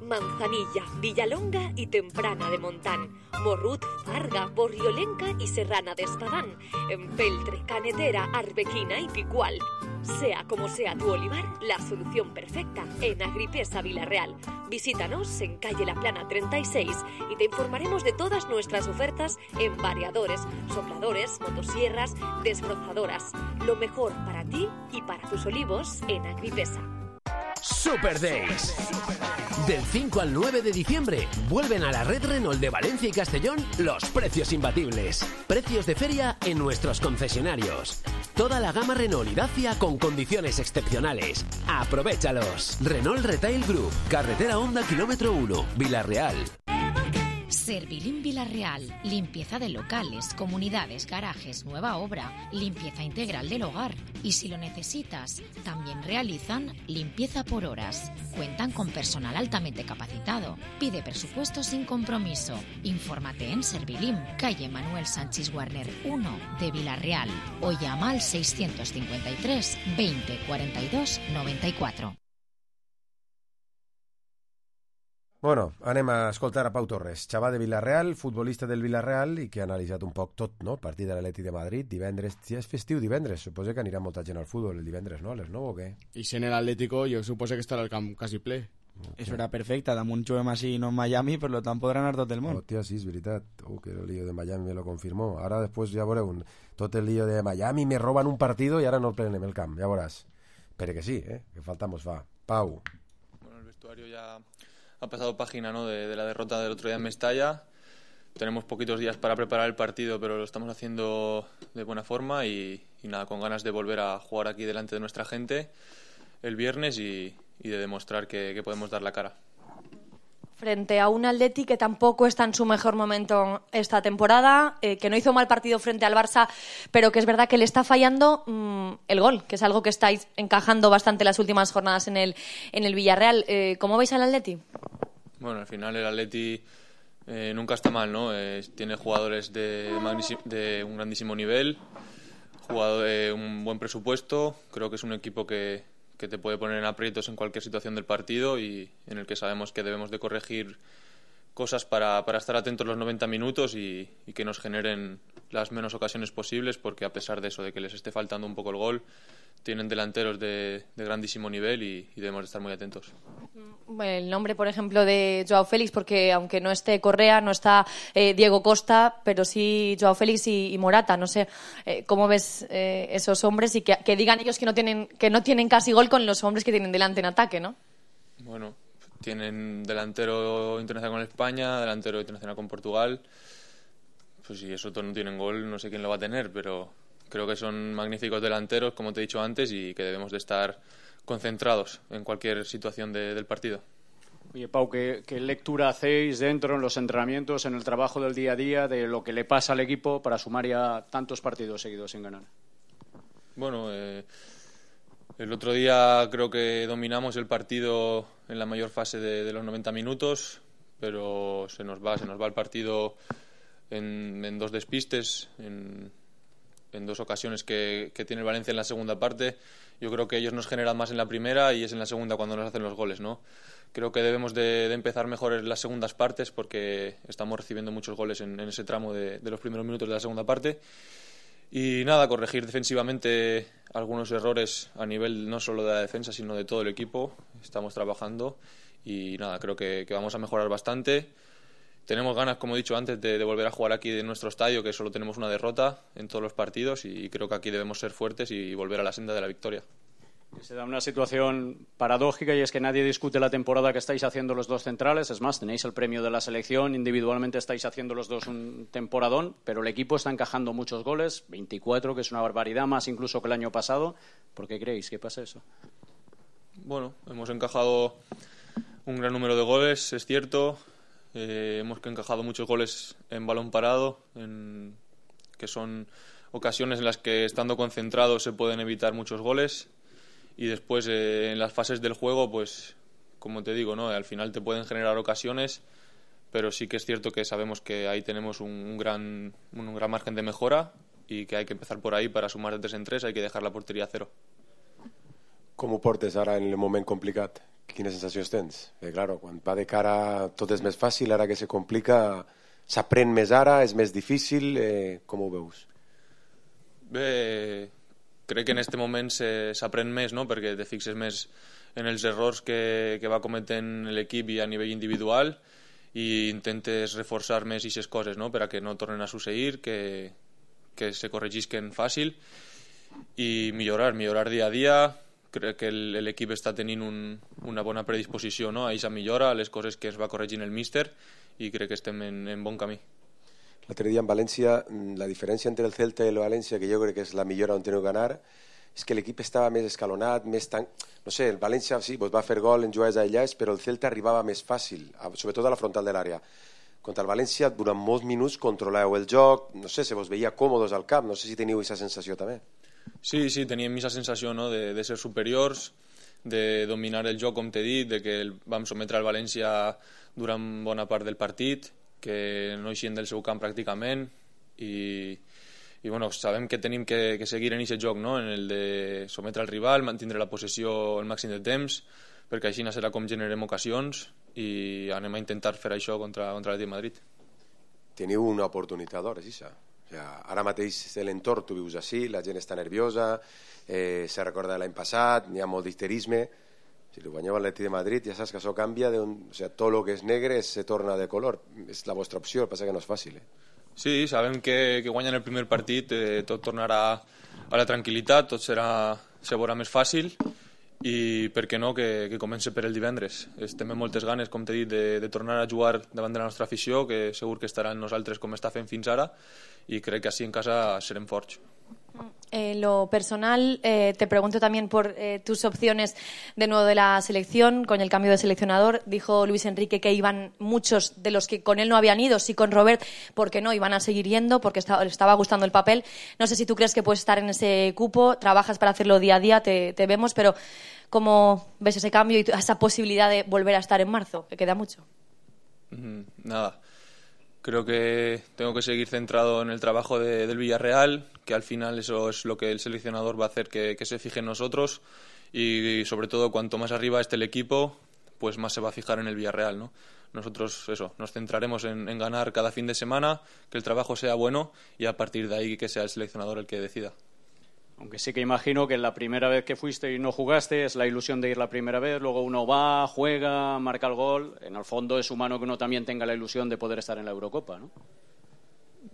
Manzanilla, Villalonga y Temprana de Montán, Morrut, Farga, Borriolenca y Serrana de Espadán, Empeltre, Canetera, Arbequina y Picual. Sea como sea tu olivar, la solución perfecta en Agripesa Villarreal. Visítanos en calle La Plana 36 y te informaremos de todas nuestras ofertas en variadores, sopladores, motosierras, desbrozadoras. Lo mejor para ti y para tus olivos en Agripesa. Super Days. Del 5 al 9 de diciembre vuelven a la red Renault de Valencia y Castellón los precios imbatibles. Precios de feria en nuestros concesionarios. Toda la gama Renault y Dacia con condiciones excepcionales. ¡Aprovéchalos! Renault Retail Group, carretera Honda kilómetro 1, Vila-real. Servilim Vila-real, limpieza de locales, comunidades, garajes, nueva obra, limpieza integral del hogar. Y si lo necesitas, también realizan limpieza por horas. Cuentan con personal altamente capacitado. Pide presupuesto sin compromiso. Infórmate en Servilim, calle Manuel Sánchez Warner 1 de Vila-real o llama al 653 20 42 94. Bueno, anem a escoltar a Pau Torres, xaval de Vila-real, futbolista del Vila-real i que ha analitzat un poc tot, no? El partit de l'Atlètic de Madrid, divendres, si és festiu divendres, suposo que anirà molta gent al futbol el divendres, no? A les 9 o què? I sent l'Atlético, jo suposo que estarà el camp quasi ple. És hora perfecta, damunt juguem així no en Miami, per tant podrà anar tot el món. Hòstia, sí, és veritat. Que el lío de Miami me lo confirmó. Ara després ja veureu tot el lío de Miami, me roban un partido i ara no el plenem el camp, ja veuràs. Però que sí, que falta mos fa. Pau. Bueno, el vestuario ya ha pasado página, ¿no? de la derrota del otro día en Mestalla. Tenemos poquitos días para preparar el partido, pero lo estamos haciendo de buena forma y nada, con ganas de volver a jugar aquí delante de nuestra gente el viernes y de demostrar que podemos dar la cara. Frente a un Atleti que tampoco está en su mejor momento esta temporada, que no hizo mal partido frente al Barça, pero que es verdad que le está fallando el gol, que es algo que estáis encajando bastante las últimas jornadas en el Villarreal. ¿Cómo veis al Atleti? Bueno, al final el Atleti nunca está mal, ¿no? Tiene jugadores de un grandísimo nivel, un buen presupuesto. Creo que es un equipo que te puede poner en aprietos en cualquier situación del partido y en el que sabemos que debemos de corregir cosas para estar atentos los 90 minutos y que nos generen las menos ocasiones posibles, porque a pesar de eso, de que les esté faltando un poco el gol, tienen delanteros de grandísimo nivel y debemos de estar muy atentos. El nombre, por ejemplo, de Joao Félix, porque aunque no esté Correa, no está Diego Costa, pero sí Joao Félix y Morata. No sé cómo ves esos hombres y que digan ellos que no tienen casi gol con los hombres que tienen delante en ataque, ¿no? Bueno, tienen delantero internacional con España, delantero internacional con Portugal. Pues si esos dos no tienen gol, no sé quién lo va a tener, pero creo que son magníficos delanteros, como te he dicho antes, y que debemos de estar concentrados en cualquier situación del partido. Oye, Pau, ¿qué lectura hacéis dentro, en los entrenamientos, en el trabajo del día a día, de lo que le pasa al equipo para sumar ya tantos partidos seguidos sin ganar? Bueno, el otro día creo que dominamos el partido en la mayor fase de los 90 minutos, pero se nos va el partido en dos despistes, en dos ocasiones que tiene el Valencia en la segunda parte. Yo creo que ellos nos generan más en la primera y es en la segunda cuando nos hacen los goles, ¿no? Creo que debemos de empezar mejor en las segundas partes porque estamos recibiendo muchos goles en ese tramo de los primeros minutos de la segunda parte. Y nada, corregir defensivamente algunos errores a nivel no solo de la defensa, sino de todo el equipo. Estamos trabajando y nada, creo que vamos a mejorar bastante. Tenemos ganas, como he dicho antes, de volver a jugar aquí en nuestro estadio, que solo tenemos una derrota en todos los partidos y creo que aquí debemos ser fuertes y volver a la senda de la victoria. Se da una situación paradójica y es que nadie discute la temporada que estáis haciendo los dos centrales. Es más, tenéis el premio de la selección, individualmente estáis haciendo los dos un temporadón, pero el equipo está encajando muchos goles, 24, que es una barbaridad, más incluso que el año pasado. ¿Por qué creéis que pasa eso? Bueno, hemos encajado un gran número de goles, es cierto. Hemos encajado muchos goles en balón parado, que son ocasiones en las que estando concentrados se pueden evitar muchos goles. Y después en las fases del juego, pues como te digo, ¿no? Al final te pueden generar ocasiones, pero sí que es cierto que sabemos que ahí tenemos un gran margen de mejora y que hay que empezar por ahí para sumar de 3 en 3, hay que dejar la portería a 0. Com ho portes ara en el moment complicat? Quines sensacions tens? Claro, quan va de cara tot és més fàcil, ara que se complica s'aprèn més ara, és més difícil, com ho veus? Bé, crec que en aquest moment s'aprèn més, no? Perquè te fixes més en els errors que va cometent l'equip i a nivell individual i intentes reforçar més aquestes coses, no? Per a que no tornen a succeir, que se corregisquen fàcil i millorar dia a dia. Crec que l'equip està tenint una bona predisposició, no? A aquesta millora, a les coses que ens va corregint el míster i crec que estem en bon camí. L'altre dia en València, la diferència entre el Celta i el València, que jo crec que és la millora on teniu que anar, és que l'equip estava més escalonat, no sé, el València sí, va fer gol en jugades aïllades, però el Celta arribava més fàcil, sobretot a la frontal de l'àrea. Contra el València, durant molts minuts controleu el joc, no sé, se vos veia còmodes al camp, no sé si teniu aquesta sensació també. Sí, teníem aquesta sensació, no? de ser superiors, de dominar el joc, com t'he dit, de que vam sometre el València durant bona part del partit, que no eixien del seu camp pràcticament i bueno, sabem que tenim que seguir en aquest joc, no? En el de sometre el rival, mantindre la possessió el màxim de temps, perquè així serà com generem ocasions i anem a intentar fer això contra l'Atlètic de Madrid. Teniu una oportunitat d'or, és això. Ara mateix l'entorn tu vius així, la gent està nerviosa, se recorda de l'any passat, n'hi ha molt d'histerisme. Si li guanyeu l'Atlètic de Madrid ja saps que això canvia, tot el que és negre se torna de color. És la vostra opció, el que passa que no és fàcil. Sí, sabem que guanyant el primer partit tot tornarà a la tranquil·litat, tot se veurà més fàcil i per què no que comenci per el divendres. Estem amb moltes ganes, com t'he dit, de tornar a jugar davant de la nostra afició, que segur que estarà en nosaltres com està fent fins ara y creo que así en casa serem forts. En lo personal, te pregunto también por tus opciones de nuevo de la selección, con el cambio de seleccionador. Dijo Luis Enrique que iban muchos de los que con él no habían ido, sí con Robert, porque no, iban a seguir yendo, porque le estaba gustando el papel. No sé si tú crees que puedes estar en ese cupo, trabajas para hacerlo día a día, te vemos, pero ¿cómo ves ese cambio y esa posibilidad de volver a estar en marzo? Que queda mucho. Nada. Creo que tengo que seguir centrado en el trabajo del Villarreal, que al final eso es lo que el seleccionador va a hacer que se fije en nosotros y sobre todo cuanto más arriba esté el equipo, pues más se va a fijar en el Villarreal, ¿no? Nosotros nos centraremos en ganar cada fin de semana, que el trabajo sea bueno y a partir de ahí que sea el seleccionador el que decida. Aunque sí que imagino que la primera vez que fuiste y no jugaste es la ilusión de ir la primera vez, luego uno va, juega, marca el gol. En el fondo es humano que uno también tenga la ilusión de poder estar en la Eurocopa, ¿no?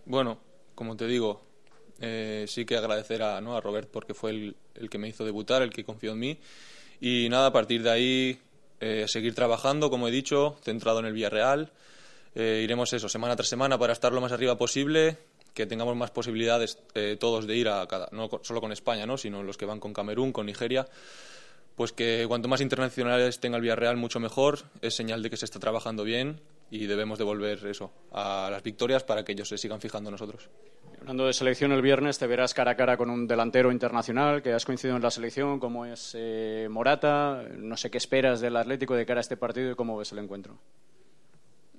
Bueno, como te digo, sí que agradecer a Robert porque fue el que me hizo debutar, el que confió en mí. Y nada, a partir de ahí seguir trabajando, como he dicho, centrado en el Villarreal. Iremos semana tras semana para estar lo más arriba posible, que tengamos más posibilidades todos de ir a cada, no solo con España, ¿no? Sino los que van con Camerún, con Nigeria, Pues que cuanto más internacionales tenga el Villarreal, mucho mejor. Es señal de que se está trabajando bien y debemos devolver eso a las victorias para que ellos se sigan fijando en nosotros. Hablando de selección, el viernes te verás cara a cara con un delantero internacional que has coincidido en la selección, como es Morata. No sé qué esperas del Atlético de cara a este partido y cómo ves el encuentro.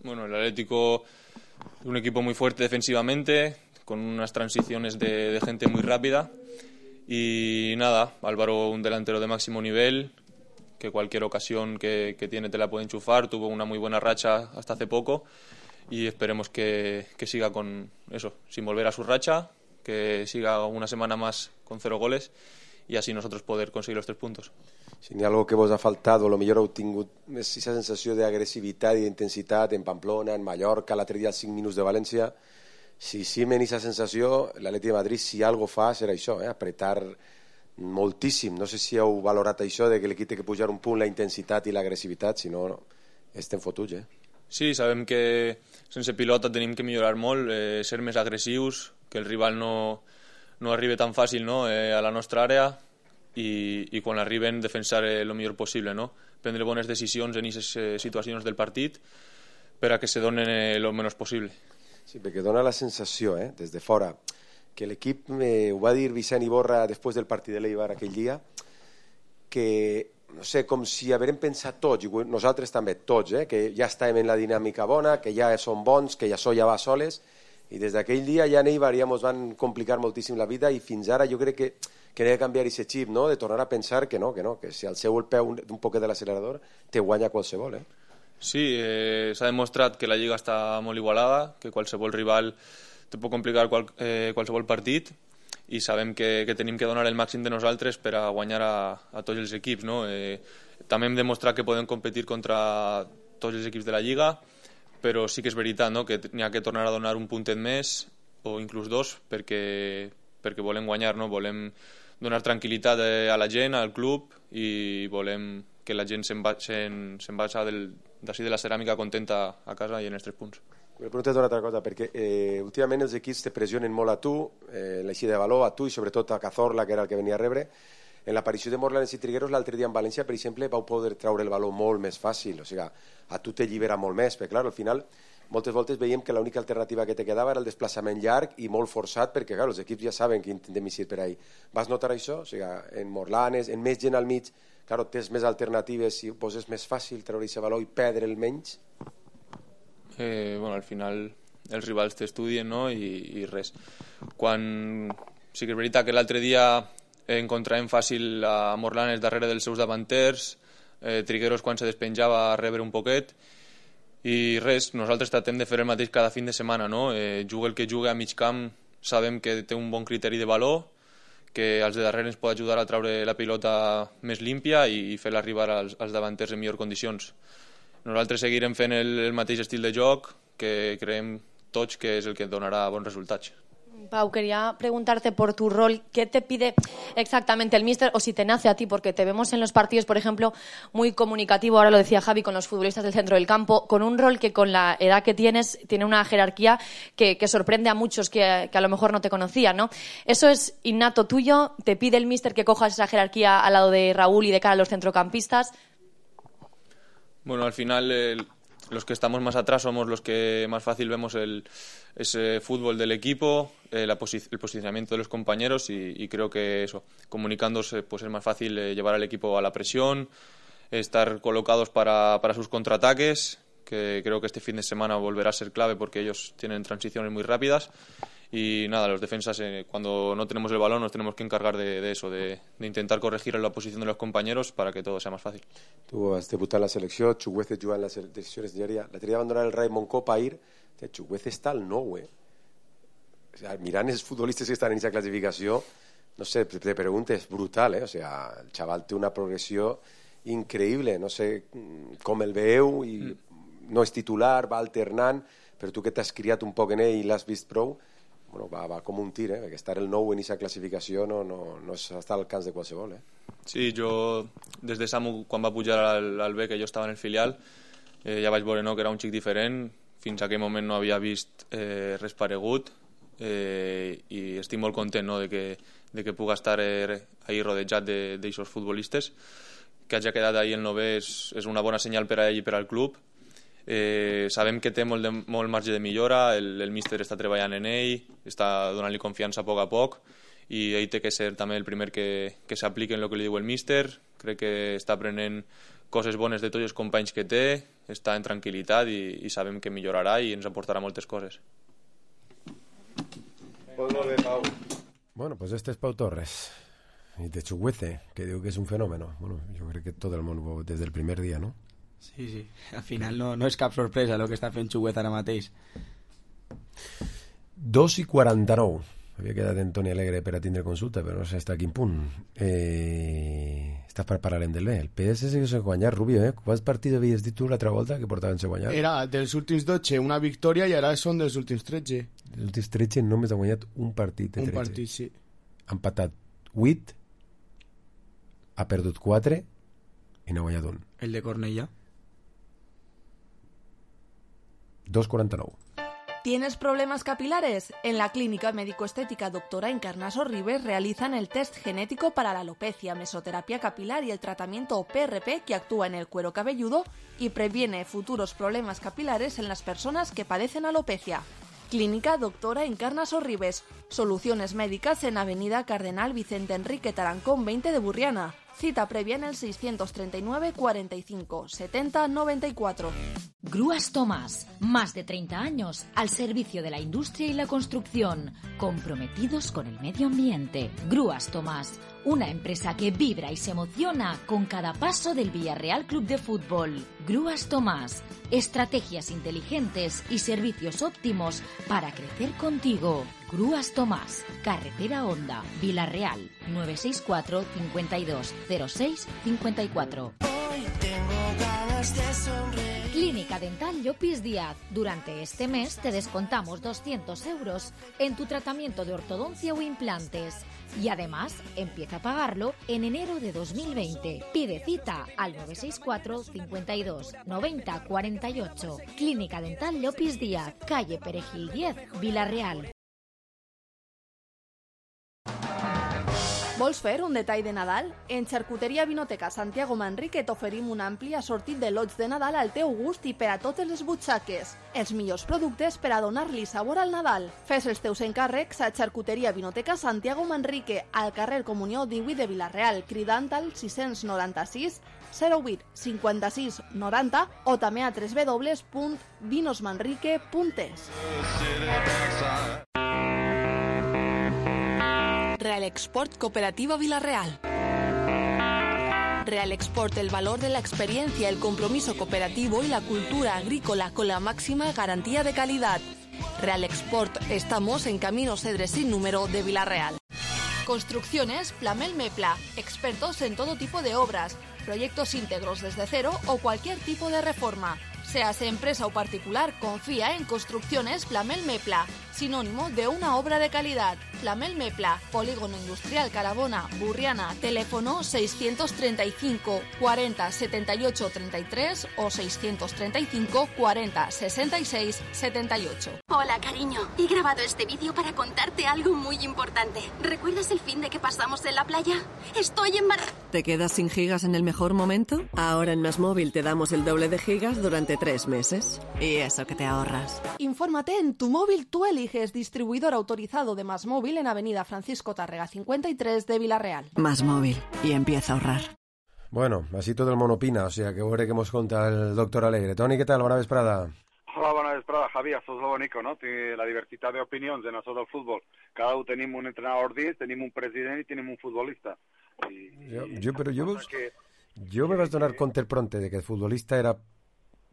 Bueno, el Atlético es un equipo muy fuerte defensivamente, con unas transiciones de gente muy rápida. Y nada, Álvaro, un delantero de máximo nivel, que cualquier ocasión que tiene te la puede enchufar. Tuvo una muy buena racha hasta hace poco y esperemos que siga con eso, sin volver a su racha, que siga una semana más con 0 goles y así nosotros poder conseguir los 3 puntos. Si n'hi ha algo que vos ha faltat o millor heu tingut és aquesta sensació d'agressivitat i d'intensitat en Pamplona, en Mallorca, l'altre dia als 5 minuts de València. Si simen aquesta sensació, l'Atleti de Madrid, si algo fa, serà això, apretar moltíssim. No sé si heu valorat això de que l'equip té que pujar un punt la intensitat i l'agressivitat, si no, estem fotuts, Sí, sabem que sense pilota tenim que millorar molt, ser més agressius, que el rival no arribi tan fàcil, no, a la nostra àrea i quan arriben defensar el millor possible, no? Prendre bones decisions en aquestes situacions del partit per a que se donen el menys possible. Sí, perquè dona la sensació, des de fora, que l'equip, ho va dir Vicent Iborra després del partit de l'Eibar aquell dia, que, no sé, com si haguem pensat tots, i nosaltres també, tots, que ja estàvem en la dinàmica bona, que ja som bons, que ja ja va soles, i des d'aquell dia ja en Eibar ja ens van complicar moltíssim la vida i fins ara jo crec que n'he de canviar aquest xip, no? De tornar a pensar que no, que si al seu el peu un poquet de l'accelerador te guanya qualsevol, Sí, s'ha demostrat que la Lliga està molt igualada, que qualsevol rival te pot complicar qualsevol partit i sabem que tenim que donar el màxim de nosaltres per a guanyar a tots els equips, no? També hem demostrat que podem competir contra tots els equips de la Lliga, però sí que és veritat, no? Que n'hi ha que tornar a donar un puntet més o inclús 2 perquè volem guanyar, no? Volem donar tranquil·litat a la gent, al club i volem que la gent se'n vagi d'ací de la ceràmica contenta a casa i en els 3 punts. Vull preguntar-te una altra cosa, perquè últimament els equips te pressionen molt a tu, l'eixida de valor, a tu i sobretot a Cazorla, que era el que venia a rebre. En l'aparició de Morlanes i Trigueros l'altre dia en València, per exemple, vau poder treure el valor molt més fàcil, o sigui, a tu te llibera molt més, perquè clar, al final moltes voltes veiem que l'única alternativa que te quedava era el desplaçament llarg i molt forçat, perquè clar, els equips ja saben que intentem eixir per ahí. Vas notar això? O sigui, en Morlanes, en més gent al mig, clar, tens més alternatives i poses més fàcil treure aquest valor i perdre el menys? Bueno, al final els rivals t'estudien, no? I res. Sí que és veritat que l'altre dia encontràvem fàcil a Morlanes darrere dels seus davanters, Trigueros quan se despenjava a rebre un poquet i res, nosaltres tratem de fer el mateix cada fin de setmana, no? Juga el que juga a mig camp, sabem que té un bon criteri de valor, que als de darrere ens pot ajudar a treure la pilota més límpia i fer-la arribar als davanters en millors condicions. Nosaltres seguirem fent el mateix estil de joc que creiem tots que és el que donarà bons resultats. Pau, quería preguntarte por tu rol, ¿qué te pide exactamente el míster o si te nace a ti? Porque te vemos en los partidos, por ejemplo, muy comunicativo, ahora lo decía Javi, con los futbolistas del centro del campo, con un rol que con la edad que tienes tiene una jerarquía que sorprende a muchos que a lo mejor no te conocían, ¿no? ¿Eso es innato tuyo? ¿Te pide el míster que cojas esa jerarquía al lado de Raúl y de cara a los centrocampistas? Bueno, al final los que estamos más atrás somos los que más fácil vemos ese fútbol del equipo, el posicionamiento de los compañeros y creo que eso, comunicándose pues es más fácil llevar al equipo a la presión, estar colocados para sus contraataques, que creo que este fin de semana volverá a ser clave porque ellos tienen transiciones muy rápidas. Y nada, los defensas cuando no tenemos el balón nos tenemos que encargar de eso, de intentar corregir la posición de los compañeros para que todo sea más fácil. Tu has debutat en la selecció, Chukwueze juga en les seleccions d'Algèria. La tria abandonar el Raymond Kopa ahir, Chukwueze està al 9, O sea, mirant els futbolistes que estan en aquesta classificació, no sé, te pregunto, és brutal, O sea, el xaval té una progressió increïble, no sé com el veieu, i no és titular, va alternant, però tu que t'has criat un poc en ell i l'has vist prou, bueno, va com un tir, perquè estar el 9 en aquesta classificació no és estar al camp de qualsevol. Sí, jo des de Samu, quan va pujar al B, que jo estava en el filial, ja vaig veure que era un xic diferent, fins a aquell moment no havia vist res paregut i estic molt content de que puga estar ahí rodejat d'aixòs futbolistes que hagi quedat ahir el 9è és una bona senyal per a ell i per al club. Sabem que té molt marge de millora, el míster està treballant en ell, està donant-li confiança a poc i ell té que ser també el primer que s'apliqui en el que li diu el míster. Crec que està aprenent coses bones de tots els companys que té, està en tranquil·litat i sabem que millorarà i ens aportarà moltes coses. Bueno, pues este es Pau Torres y de Chuguece, que digo que es un fenómeno. Bueno, yo creo que todo el mundo desde el primer día, ¿no? Sí, al final no és cap sorpresa el que està fent Chuguece ara mateix. 2:49. Havia quedat en Toni Alegre per a tindre consulta, però no sé hasta quin punt. Estàs per parlar del bé. El PS sí que s'ha guanyat, Rubio, eh? Quants partits havies dit tu l'altra volta que portaven s'ha guanyat? Era dels últims 12 una victòria i ara són dels últims 13. Els últims 13 només ha guanyat un partit de 13. Un partit, sí. Ha empatat 8, ha perdut 4 i n'ha guanyat un. El de Cornellà? 2:49. ¿Tienes problemas capilares? En la Clínica Médico-Estética Doctora Encarnaso Ribes realizan el test genético para la alopecia, mesoterapia capilar y el tratamiento PRP que actúa en el cuero cabelludo y previene futuros problemas capilares en las personas que padecen alopecia. Clínica Doctora Encarnaso Ribes. Soluciones médicas en Avenida Cardenal Vicente Enrique Tarancón 20 de Burriana. Cita previa en el 639 45 70 94. Grúas Tomás, más de 30 años al servicio de la industria y la construcción, comprometidos con el medio ambiente. Grúas Tomás, una empresa que vibra y se emociona con cada paso del Villarreal Club de Fútbol. Grúas Tomás, estrategias inteligentes y servicios óptimos para crecer contigo. Grúas Tomás, Carretera Honda, Villarreal, 964 52 06 54. Clínica Dental Llopis Díaz. Durante este mes te descontamos 200 euros en tu tratamiento de ortodoncia o implantes. Y además, empieza a pagarlo en enero de 2020. Pide cita al 964 52 90 48. Clínica Dental Llopis Díaz, calle Perejil 10, Villarreal. Vols fer un detall de Nadal? En Xarcuteria Vinoteca Santiago Manrique t'oferim un ampli assortit de lots de Nadal al teu gust i per a totes les butxaques. Els millors productes per a donar-li sabor al Nadal. Fes els teus encàrrecs a Xarcuteria Vinoteca Santiago Manrique, al carrer Comunió 18 de Vilareal, cridant al 696 08 56 90 o també a www.vinosmanrique.es. Real Export Cooperativa Villarreal. Real Export, el valor de la experiencia, el compromiso cooperativo y la cultura agrícola con la máxima garantía de calidad. Real Export, estamos en Camino Cedres sin número de Villarreal. Construcciones Plamel Mepla, expertos en todo tipo de obras, proyectos íntegros desde cero o cualquier tipo de reforma. Seas empresa o particular, confía en Construcciones Plamel Mepla, sinónimo de una obra de calidad. Plamel Mepla, Polígono Industrial Carabona, Burriana, teléfono 635 40 78 33 o 635 40 66 78. Hola, cariño. He grabado este vídeo para contarte algo muy importante. ¿Recuerdas el fin de que pasamos en la playa? Estoy embarazada. ¿Te quedas sin gigas en el mejor momento? Ahora en MásMóvil te damos el doble de gigas durante 3 meses. Y eso que te ahorras. Infórmate en Tu Móvil Tú Eliges, distribuidor autorizado de MásMóvil en Avenida Francisco Tárrega 53 de Villarreal. MásMóvil, y empieza a ahorrar. Bueno, así todo el mundo opina, o sea que veure que hemos contado el doctor Alegre. Toni, ¿qué tal? Bona vesprada. Hola, bona vesprada, Javi. Això és lo bonico, no? La diversitat d'opinions en això del futbol. Cada un tenim un entrenador dins, tenim un president i tenim un futbolista. Jo me vaig donar compte pronte de que el futbolista era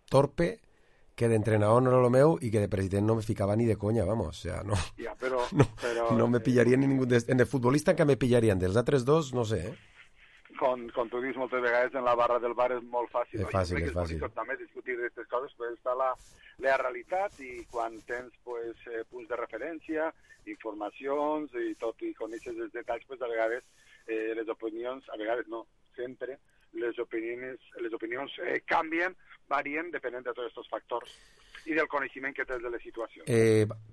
torpe, que d'entrenador no era lo meu y que de president no me ficaba ni de coña, vamos, o sea, no. Ja, però, no me pillarían ni ningún... En el futbolista que me pillarían, dels altres dos, no sé, eh? Com tu dius moltes vegades, en la barra del bar és molt fàcil. És fàcil, és fàcil. També discutir d'aquestes coses, però està la realitat i quan tens punts de referència, informacions i tot, i coneixes els detalls, a vegades les opinions, a vegades no, sempre, les opinions canvien, varien, depenent de tots aquests factors i del coneixement que tens de les situacions.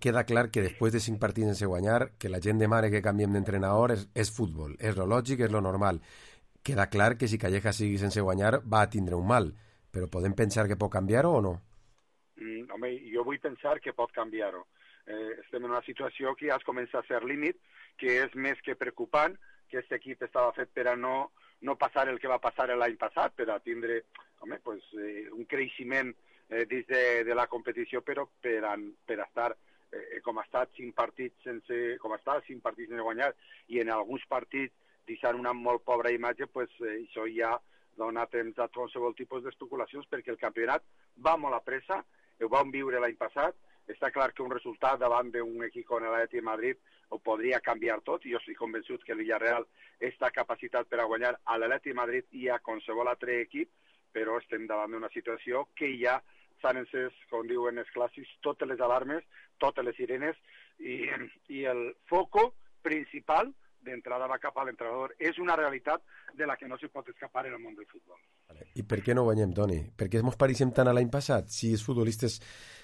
Queda clar que després de 5 partits sense guanyar, que la gent demana que canviem d'entrenador és futbol, és lo lògic, és lo normal. queda clar que si Calleja sigui sense guanyar va a tindre un mal, però podem pensar que pot canviar-ho o no? Home, jo vull pensar que pot canviar-ho. Estem en una situació que ja es comença a ser límit, que és més que preocupant, que aquest equip estava fet per a no passar el que va passar l'any passat, per a tindre un creixement dins de la competició, però per a estar com ha estat 5 partits sense guanyar, i en alguns partits deixant una molt pobra imatge, això ja dona temps a qualsevol tipus d'especulacions, perquè el campionat va molt a pressa, ho vam viure l'any passat. Està clar que un resultat davant d'un equip com l'Atleti de Madrid ho podria canviar tot, i jo estic convençut que el Villarreal està capacitat per a guanyar a l'Atleti de Madrid i a qualsevol altre equip, però estem davant d'una situació que ja s'han encès, com diuen els clàssics, totes les alarmes, totes les sirenes, i el foco principal d'entrada va cap a l'entrenador. És una realitat de la que no se pot escapar en el món del futbol. I per què no guanyem, Toni? Per què ens pareixem tant a l'any passat? Si els futbolistes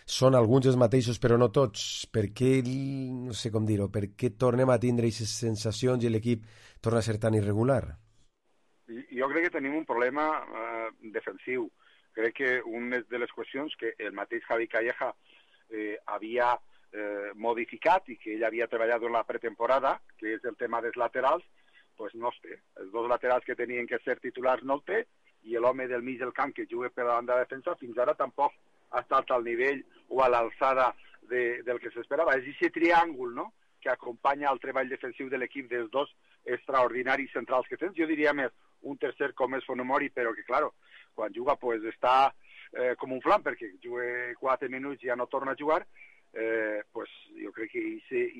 són alguns els mateixos però no tots, per què, no sé com dir-ho, per què tornem a tindre aquestes sensacions i l'equip torna a ser tan irregular? Jo crec que tenim un problema defensiu. Crec que una de les qüestions que el mateix Javi Calleja havia modificat i que ell havia treballat en la pretemporada, que és el tema dels laterals, doncs no els té. Els dos laterals que tenien que ser titulars no el té, i l'home del mig del camp que juga per la banda de defensa fins ara tampoc ha estat al nivell o a l'alçada del que s'esperava. És aquest triàngul, no?, que acompanya el treball defensiu de l'equip dels dos extraordinaris centrals que tens. Jo diria més un tercer com és Fonomori, però que, claro, quan juga està com un flam, perquè juga 4 minuts i ja no torna a jugar. Jo crec que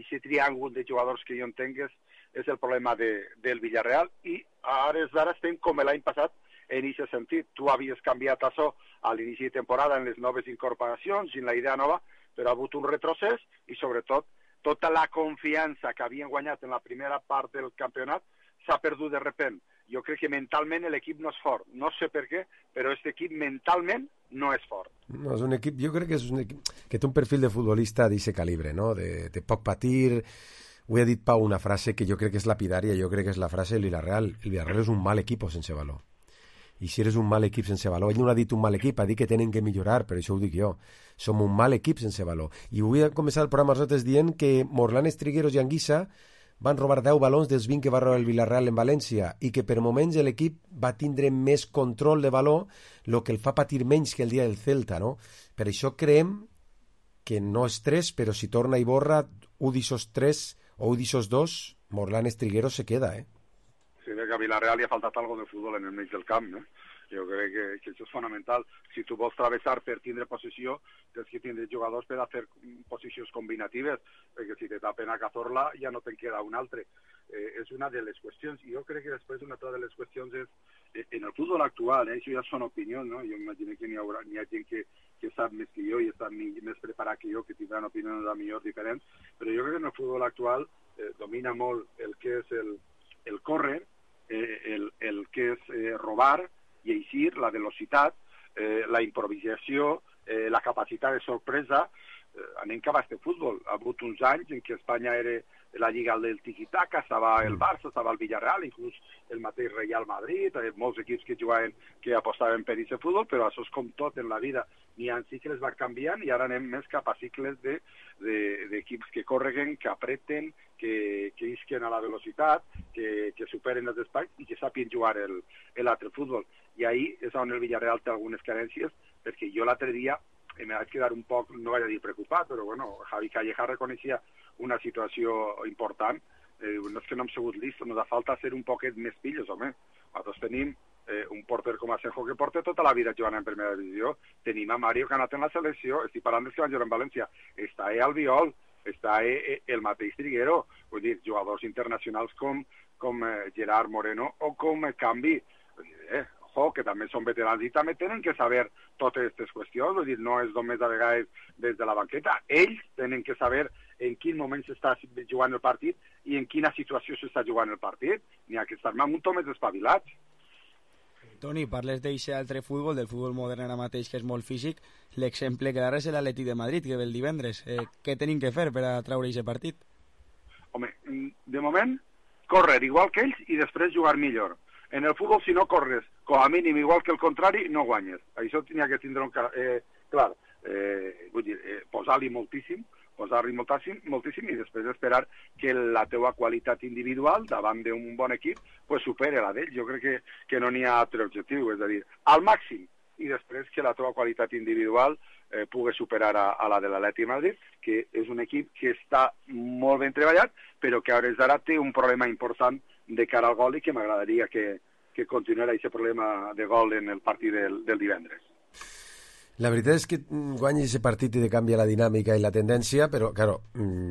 aquest triàngul de jugadors que jo entenc és el problema del Villarreal, i ara estem com l'any passat en aquest sentit. Tu havies canviat això a l'inici de temporada en les noves incorporacions, en la idea nova, però ha hagut un retrocés, i sobretot tota la confiança que havien guanyat en la primera part del campionat s'ha perdut de repent. Jo crec que mentalment l'equip no és fort. No sé per què, però aquest equip mentalment no és fort. No, és un equip, jo crec que és un equip que té un perfil de futbolista d'aquest calibre, no? De poc patir. Ho ha dit Pau una frase que jo crec que és lapidària, jo crec que és la frase del Villarreal. El Villarreal és un mal equip sense valor. I si eres un mal equip sense valor, ell no ha dit un mal equip, ha dit que tenen que millorar, però això ho dic jo. Som un mal equip sense valor. I vull començar el programa nosaltres dient que Morlanes, Trigueros i Anguissa van robar 10 balons dels 20 que va robar el Villarreal en València, i que per moments l'equip va tindre més control de valor, el que el fa patir menys que el dia del Celta, no? Per això creiem que no és 3, però si torna Iborra, un d'aixòs 3 o un d'aixòs 2, Morlanes, Trigueros se queda, Sí, que a Villarreal li ha faltat algo de futbol en el mig del camp, Jo crec que això és fonamental. Si tu vols travessar per tindre possessió, tens que tindre jugadors per a fer posicions combinatives, perquè si te tapen a Cazorla ja no te'n queda un altre. És una de les qüestions. I jo crec que després una altra de les qüestions és, en el futbol actual, això ja són opinions, no? Jo imagino que n'hi ha gent que sap més que jo i està més preparat que jo, que tindran opinions millor diferents, però jo crec que en el futbol actual domina molt el que és el córrer, el que és robar i eixir, la velocitat, la improvisació, la capacitat de sorpresa. Anem cap a este futbol. Ha hagut uns anys en què Espanya era la lliga del tiquitaca, estava el Barça, estava el Villarreal, inclús el mateix Real Madrid, molts equips que jugaven, que apostaven per aquest futbol, però això és com tot en la vida. N'hi ha cicles va canviant i ara anem més cap a cicles d'equips que correguen, que apreten, que isquen a la velocitat, que superen els espais i que sàpien jugar l'altre futbol. I ahí és on el Villarreal té algunes carències, perquè jo l'altre dia em vaig quedar un poc, no vaig a dir preocupat, però bueno, Javi Calleja reconeixia una situació important. No és que no hem sigut listos, ens ha falta ser un poquet més pillos, home. Nosaltres tenim un porter com Asenjo que porta tota la vida jugant en primera divisió. Tenim a Mario que ha anat en la selecció, estic parlant dels que van jugar en València. Està Albiol, està el mateix Triguero, vull dir, jugadors internacionals com Gerard Moreno o com Cambi. Que també són veterans i també tenen que saber totes aquestes qüestions, vull dir, no és només a vegades des de la banqueta. Ells tenen que saber en quin moment s'està jugant el partit i en quina situació s'està jugant el partit. N'hi ha que estar un toc més espavilats. Toni, parles d'aquest altre futbol, del futbol modern ara mateix, que és molt físic. L'exemple clar és l'Atleti de Madrid, que ve el divendres. Què tenim que fer per a treure aquest partit? Home, de moment, córrer igual que ells i després jugar millor. En el futbol, si no corres, com a mínim, igual que el contrari, no guanyes. Això tenia que tindre clar. Vull dir, posar-li moltíssim i després esperar que la teua qualitat individual davant d'un bon equip pues supere la d'ell. Jo crec que no n'hi ha altre objectiu, és a dir, al màxim, i després que la teua qualitat individual pugui superar a la de l'Atlètic de Madrid, que és un equip que està molt ben treballat, però que a hores d'ara té un problema important de cara al gol i que m'agradaria que continuara aquest problema de gol en el partit del divendres. La veritat és que guanya aquest partit i de canvia la dinàmica i la tendència, però, claro,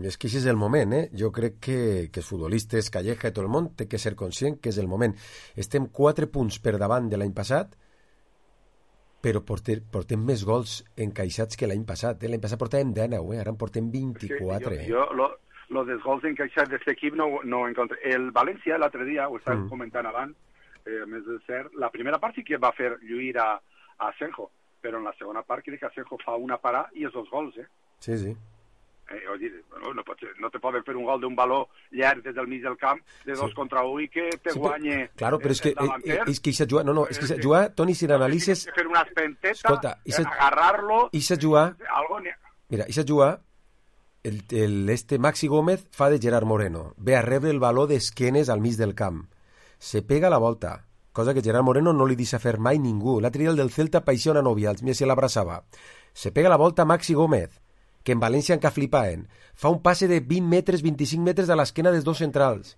és que això és el moment, Jo crec que els futbolistes, Calleja i tot el món, té que ser conscient que és el moment. Estem 4 punts per davant de l'any passat, però portem més gols encaixats que l'any passat. L'any passat portàvem 19, ara en portem 24. Jo lo dels gols encaixats d'aquest equip no ho encontré. El València, l'altre dia, ho estàvem comentant abans, a més de ser, la primera part sí que va fer lluir a Asenjo, però en la segona part crec que Asenjo fa una parada i els 2 gols, Sí, sí. No te poden fer un gol d'un baló llarg des del mig del camp de 2 contra 1 i que te guanye claro, però és que eixa jugar, és que jugar, Toni, si l'analitzes... Tienes que fer una espenteta, agarrar-lo... Eixa jugar... Mira, eixa jugar, este Maxi Gómez fa de Gerard Moreno, ve a rebre el baló d'esquenes al mig del camp, se pega la volta, cosa que Gerard Moreno no li deixa fer mai ningú. L'altre dia el del Celta paixia una nòvia, se l'abraçava. Se pega la volta Maxi Gómez, que en València encara flipaven. Fa un passe de 20 metres, 25 metres a l'esquena dels 2 centrals.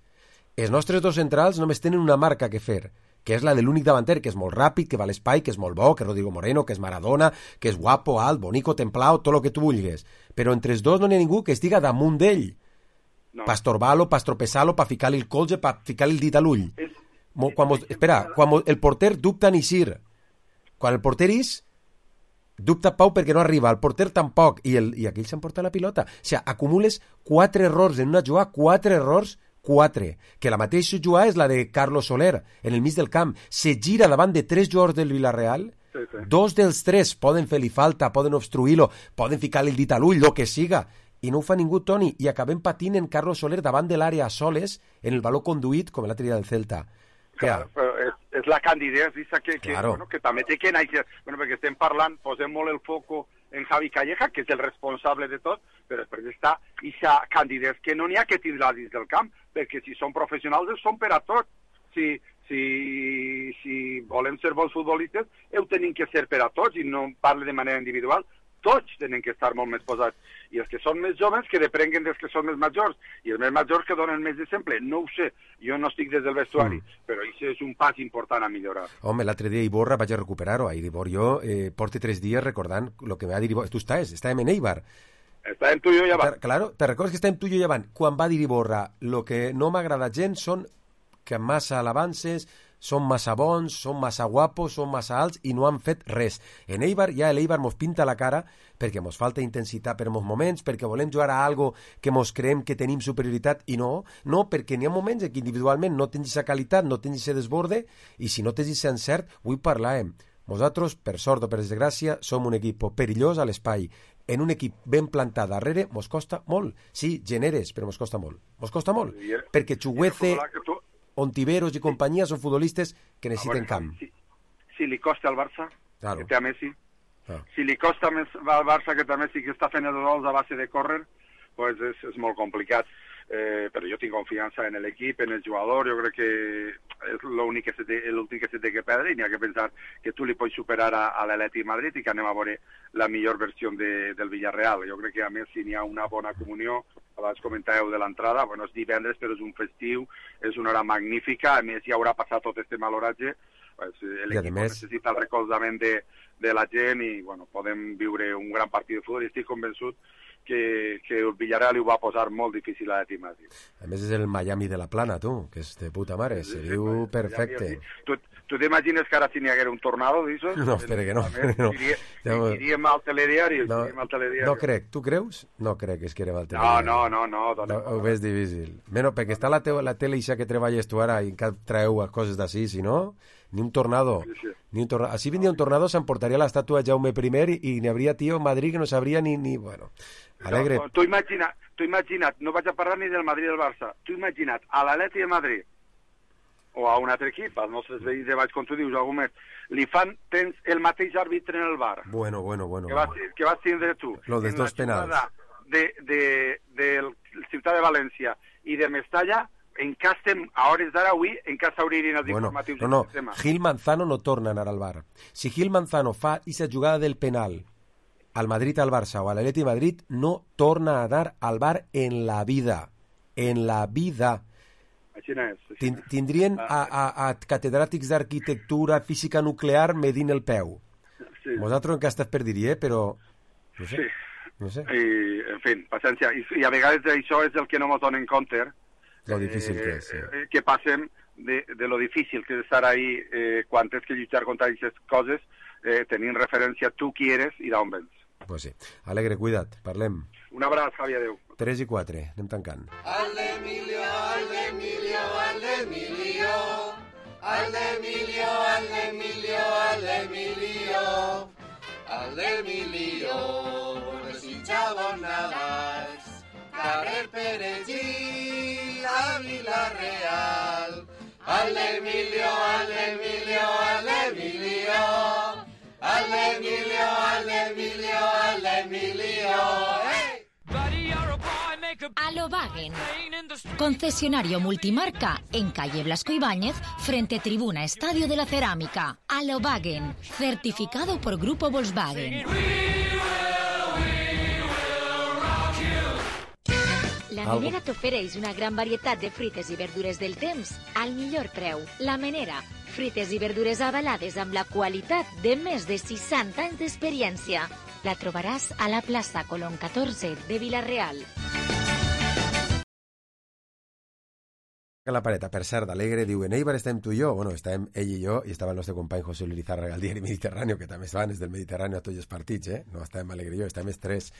Els nostres 2 centrals només tenen una marca que fer, que és la de l'únic davanter, que és molt ràpid, que va a l'espai, que és molt bo, que és Rodrigo Moreno, que és Maradona, que és guapo, alt, bonico, templao, tot el que tu vulguis. Però entre els 2 no n'hi ha ningú que estiga damunt d'ell. No. Pa estorbar-lo, pa estropessar-lo, pa ficar-li el colze, pa ficar-li el dit a l'ull. Quan el porter dubta en eixir. Quan el porter és... dubta Pau perquè no arriba, el porter tampoc, i aquell s'emporta la pilota. O sigui, acumules 4 errors en una jugada, 4 errors, 4. Que la mateixa jugada és la de Carlos Soler, en el mig del camp. Se gira davant de 3 jugadors del Villarreal, 2 dels 3 poden fer-li falta, poden obstruir-lo, poden ficar-li el dit a l'ull, el que siga, i no ho fa ningú, Toni, i acabem patint en Carlos Soler davant de l'àrea a soles, en el baló conduït, com l'altre dia del Celta. Claro, però és la candidesa que també té que anar, perquè estem parlant, posem molt el foco en Javi Calleja, que és el responsable de tot, però després està aquesta candidesa que no n'hi ha que tindre dins del camp, perquè si són professionals són per a tot. Si volem ser bons futbolistes, ho tenim que ser per a tots, i no parle de manera individual. Tots tenen que estar molt més posats. I els que són més joves que deprenguen dels que són més majors. I els més majors que donen més d'exemple. No ho sé, jo no estic des del vestuari, però això és un pas important a millorar. Home, l'altre dia Iborra vaig a recuperar-ho. Ibor, jo porto 3 dies recordant el que m'ha dit Iborra. Tu estàvem en Eibar. Estàvem tu i jo llevant. Claro, te recordes que estàvem tu i jo llevant. Quan va dir Iborra, el que no m'agrada gens són que massa alabances, són massa bons, són massa guapos, són massa alts i no han fet res. En Eibar, ja l'Eibar mos pinta la cara perquè mos falta intensitat per molts moments, perquè volem jugar a algo que mos creem que tenim superioritat i no, perquè n'hi ha moments en què individualment no tens aquesta qualitat, no tens aquest desborde i si no tens aquest encert, avui parlàvem. Nosaltres, per sort o per desgràcia, som un equip perillós a l'espai. En un equip ben plantat darrere mos costa molt. Sí, generes, però mos costa molt. Mos costa molt, perquè Chuguece, Ontiveros i companyia són futbolistes que necessiten camp. Si li costa al Barça, que té a Messi, si li costa més al Barça que té a Messi, que està fent els gols a base de córrer, pues és molt complicat. Però jo tinc confiança en l'equip, en el jugador, jo crec que és l'últim que se té que perdre i n'hi ha que pensar que tu li pots superar a l'Atlètic de Madrid i que anem a veure la millor versió del Villarreal. Jo crec que a més si n'hi ha una bona comunió, abans comentàveu de l'entrada, és divendres però és un festiu, és una hora magnífica, a més ja haurà passat tot aquest maloratge, l'equip necessita el recolzament de la gent i podem viure un gran partit de futbol i estic convençut que el Villarreal ho va posar molt difícil a l'Atlètic de Madrid. A més és el Miami de la Plana, tu, que és de puta mare, se diu perfecte. Tu t'imagines que ara si n'hi haguera un tornado d'això? No, espera que no. Iríem al telediari. No crec, tu creus? No crec que es quedem al telediari. No. Ho veus difícil. Bueno, perquè està la tele ixa que treballes tu ara i encara traeu coses d'ací, si no, ni un tornado. Si vindria un tornado s'emportaria l'estàtua de Jaume I i n'hi hauria tio en Madrid que no sabria ni... Bueno, alegre. Tu imagina't, no vaig a parlar ni del Madrid del Barça, tu imagina't a l'Atlètic de Madrid o a un altre equip, als nostres veïns de baix, com tu dius, algú més, tens el mateix àrbitre en el bar. Bueno. Que vas tindre tu. Lo dels dos penals. De Ciutat de València i de Mestalla, encara estem, a hores d'ara avui, encara s'obririen els informatius del sistema. Gil Manzano no torna a anar al bar. Si Gil Manzano fa aquesta jugada del penal al Madrid, al Barça o a l'Atleti Madrid, no torna a anar al bar en la vida. En la vida. Així és. Tindrien a catedràtics d'arquitectura, física nuclear medint el peu. Sí. Vosaltres encara estàs per dir-hi, però... No sé. Sí. No sé. I, en fi, paciència. I a vegades això és el que no ens donen compte. Lo difícil que és. Sí. Que passem de lo difícil que és estar ahí quan tens que lluitar contra aquestes coses, tenint referència tu qui eres i d'on vens. Pues sí. Alegre, cuida't. Parlem. Un abraç, Javi, adeu. 3 i 4. Anem tancant. Aldemilio, Aldemilio, Aldemilio. Aldemilio, Aldemilio, Aldemilio. Aldemilio, desitjava Navas. Carrer Perejil, a Vila-real. Aldemilio, Aldemilio, Aldemilio. Aldemilio, Aldemilio, Aldemilio. ¡Hey! Alobagen, concesionario multimarca en calle Blasco Ibáñez, frente Tribuna Estadio de la Cerámica. Alobagen, certificado por Grupo Volkswagen. La Menera t'ofereix una gran varietat de fruites i verdures del temps al millor preu. La Menera, fruites i verdures avalades amb la qualitat de més de 60 anys d'experiència. La trobaràs a la plaça Colón 14 de Vila-real. La pareta, per cert, alegre, diu, en Eibar estem tu i jo. Bueno, estàvem ell i jo, i estava el nostre company José Luis Lizárraga al diari Mediterráneo, que també estaven des del Mediterráneo a tots els partits, eh? No estàvem alegre i jo, estàvem els tres.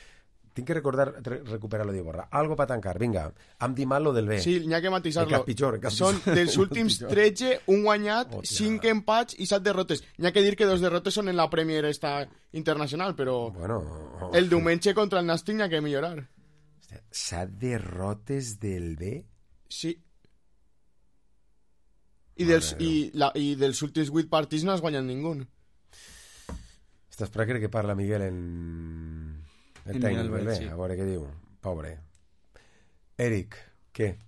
Tinc que recuperar-lo d'Iborra. Algo per tancar, vinga. Hem dit mal lo del B. Sí, n'hi ha que matisar-lo. Són dels últims 13, un guanyat, 5 empats i 7 derrotes. N'hi ha que dir que 2 derrotes són en la Premier esta internacional, però el diumenge contra el Nàstic n'hi ha que millorar. 7 derrotes del B? Sí. I dels últims 8 partits no has guanyat ningú. Estàs per que parla Miguel en tècnic, sí. A veure què diu. Pobre. Eric, què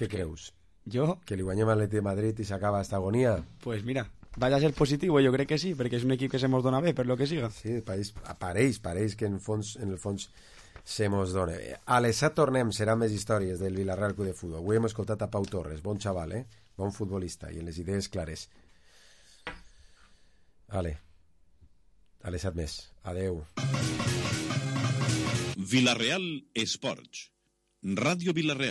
creus? Jo? Que li guanyem a l'Atleti de Madrid i s'acaba esta agonia? Pues mira, vaya a ser positivo, jo crec que sí, perquè és un equip que se mos dona bé, per lo que siga. Sí, pareix que en el fons se mos dona bé. A les 7 tornem, seran més històries del Villarreal Club de Futbol. Avui hem escoltat a Pau Torres, bon xaval, bon futbolista, i en les idees clares. Ale, a les 7 més. Adeu. Villarreal Esports. Ràdio Villarreal.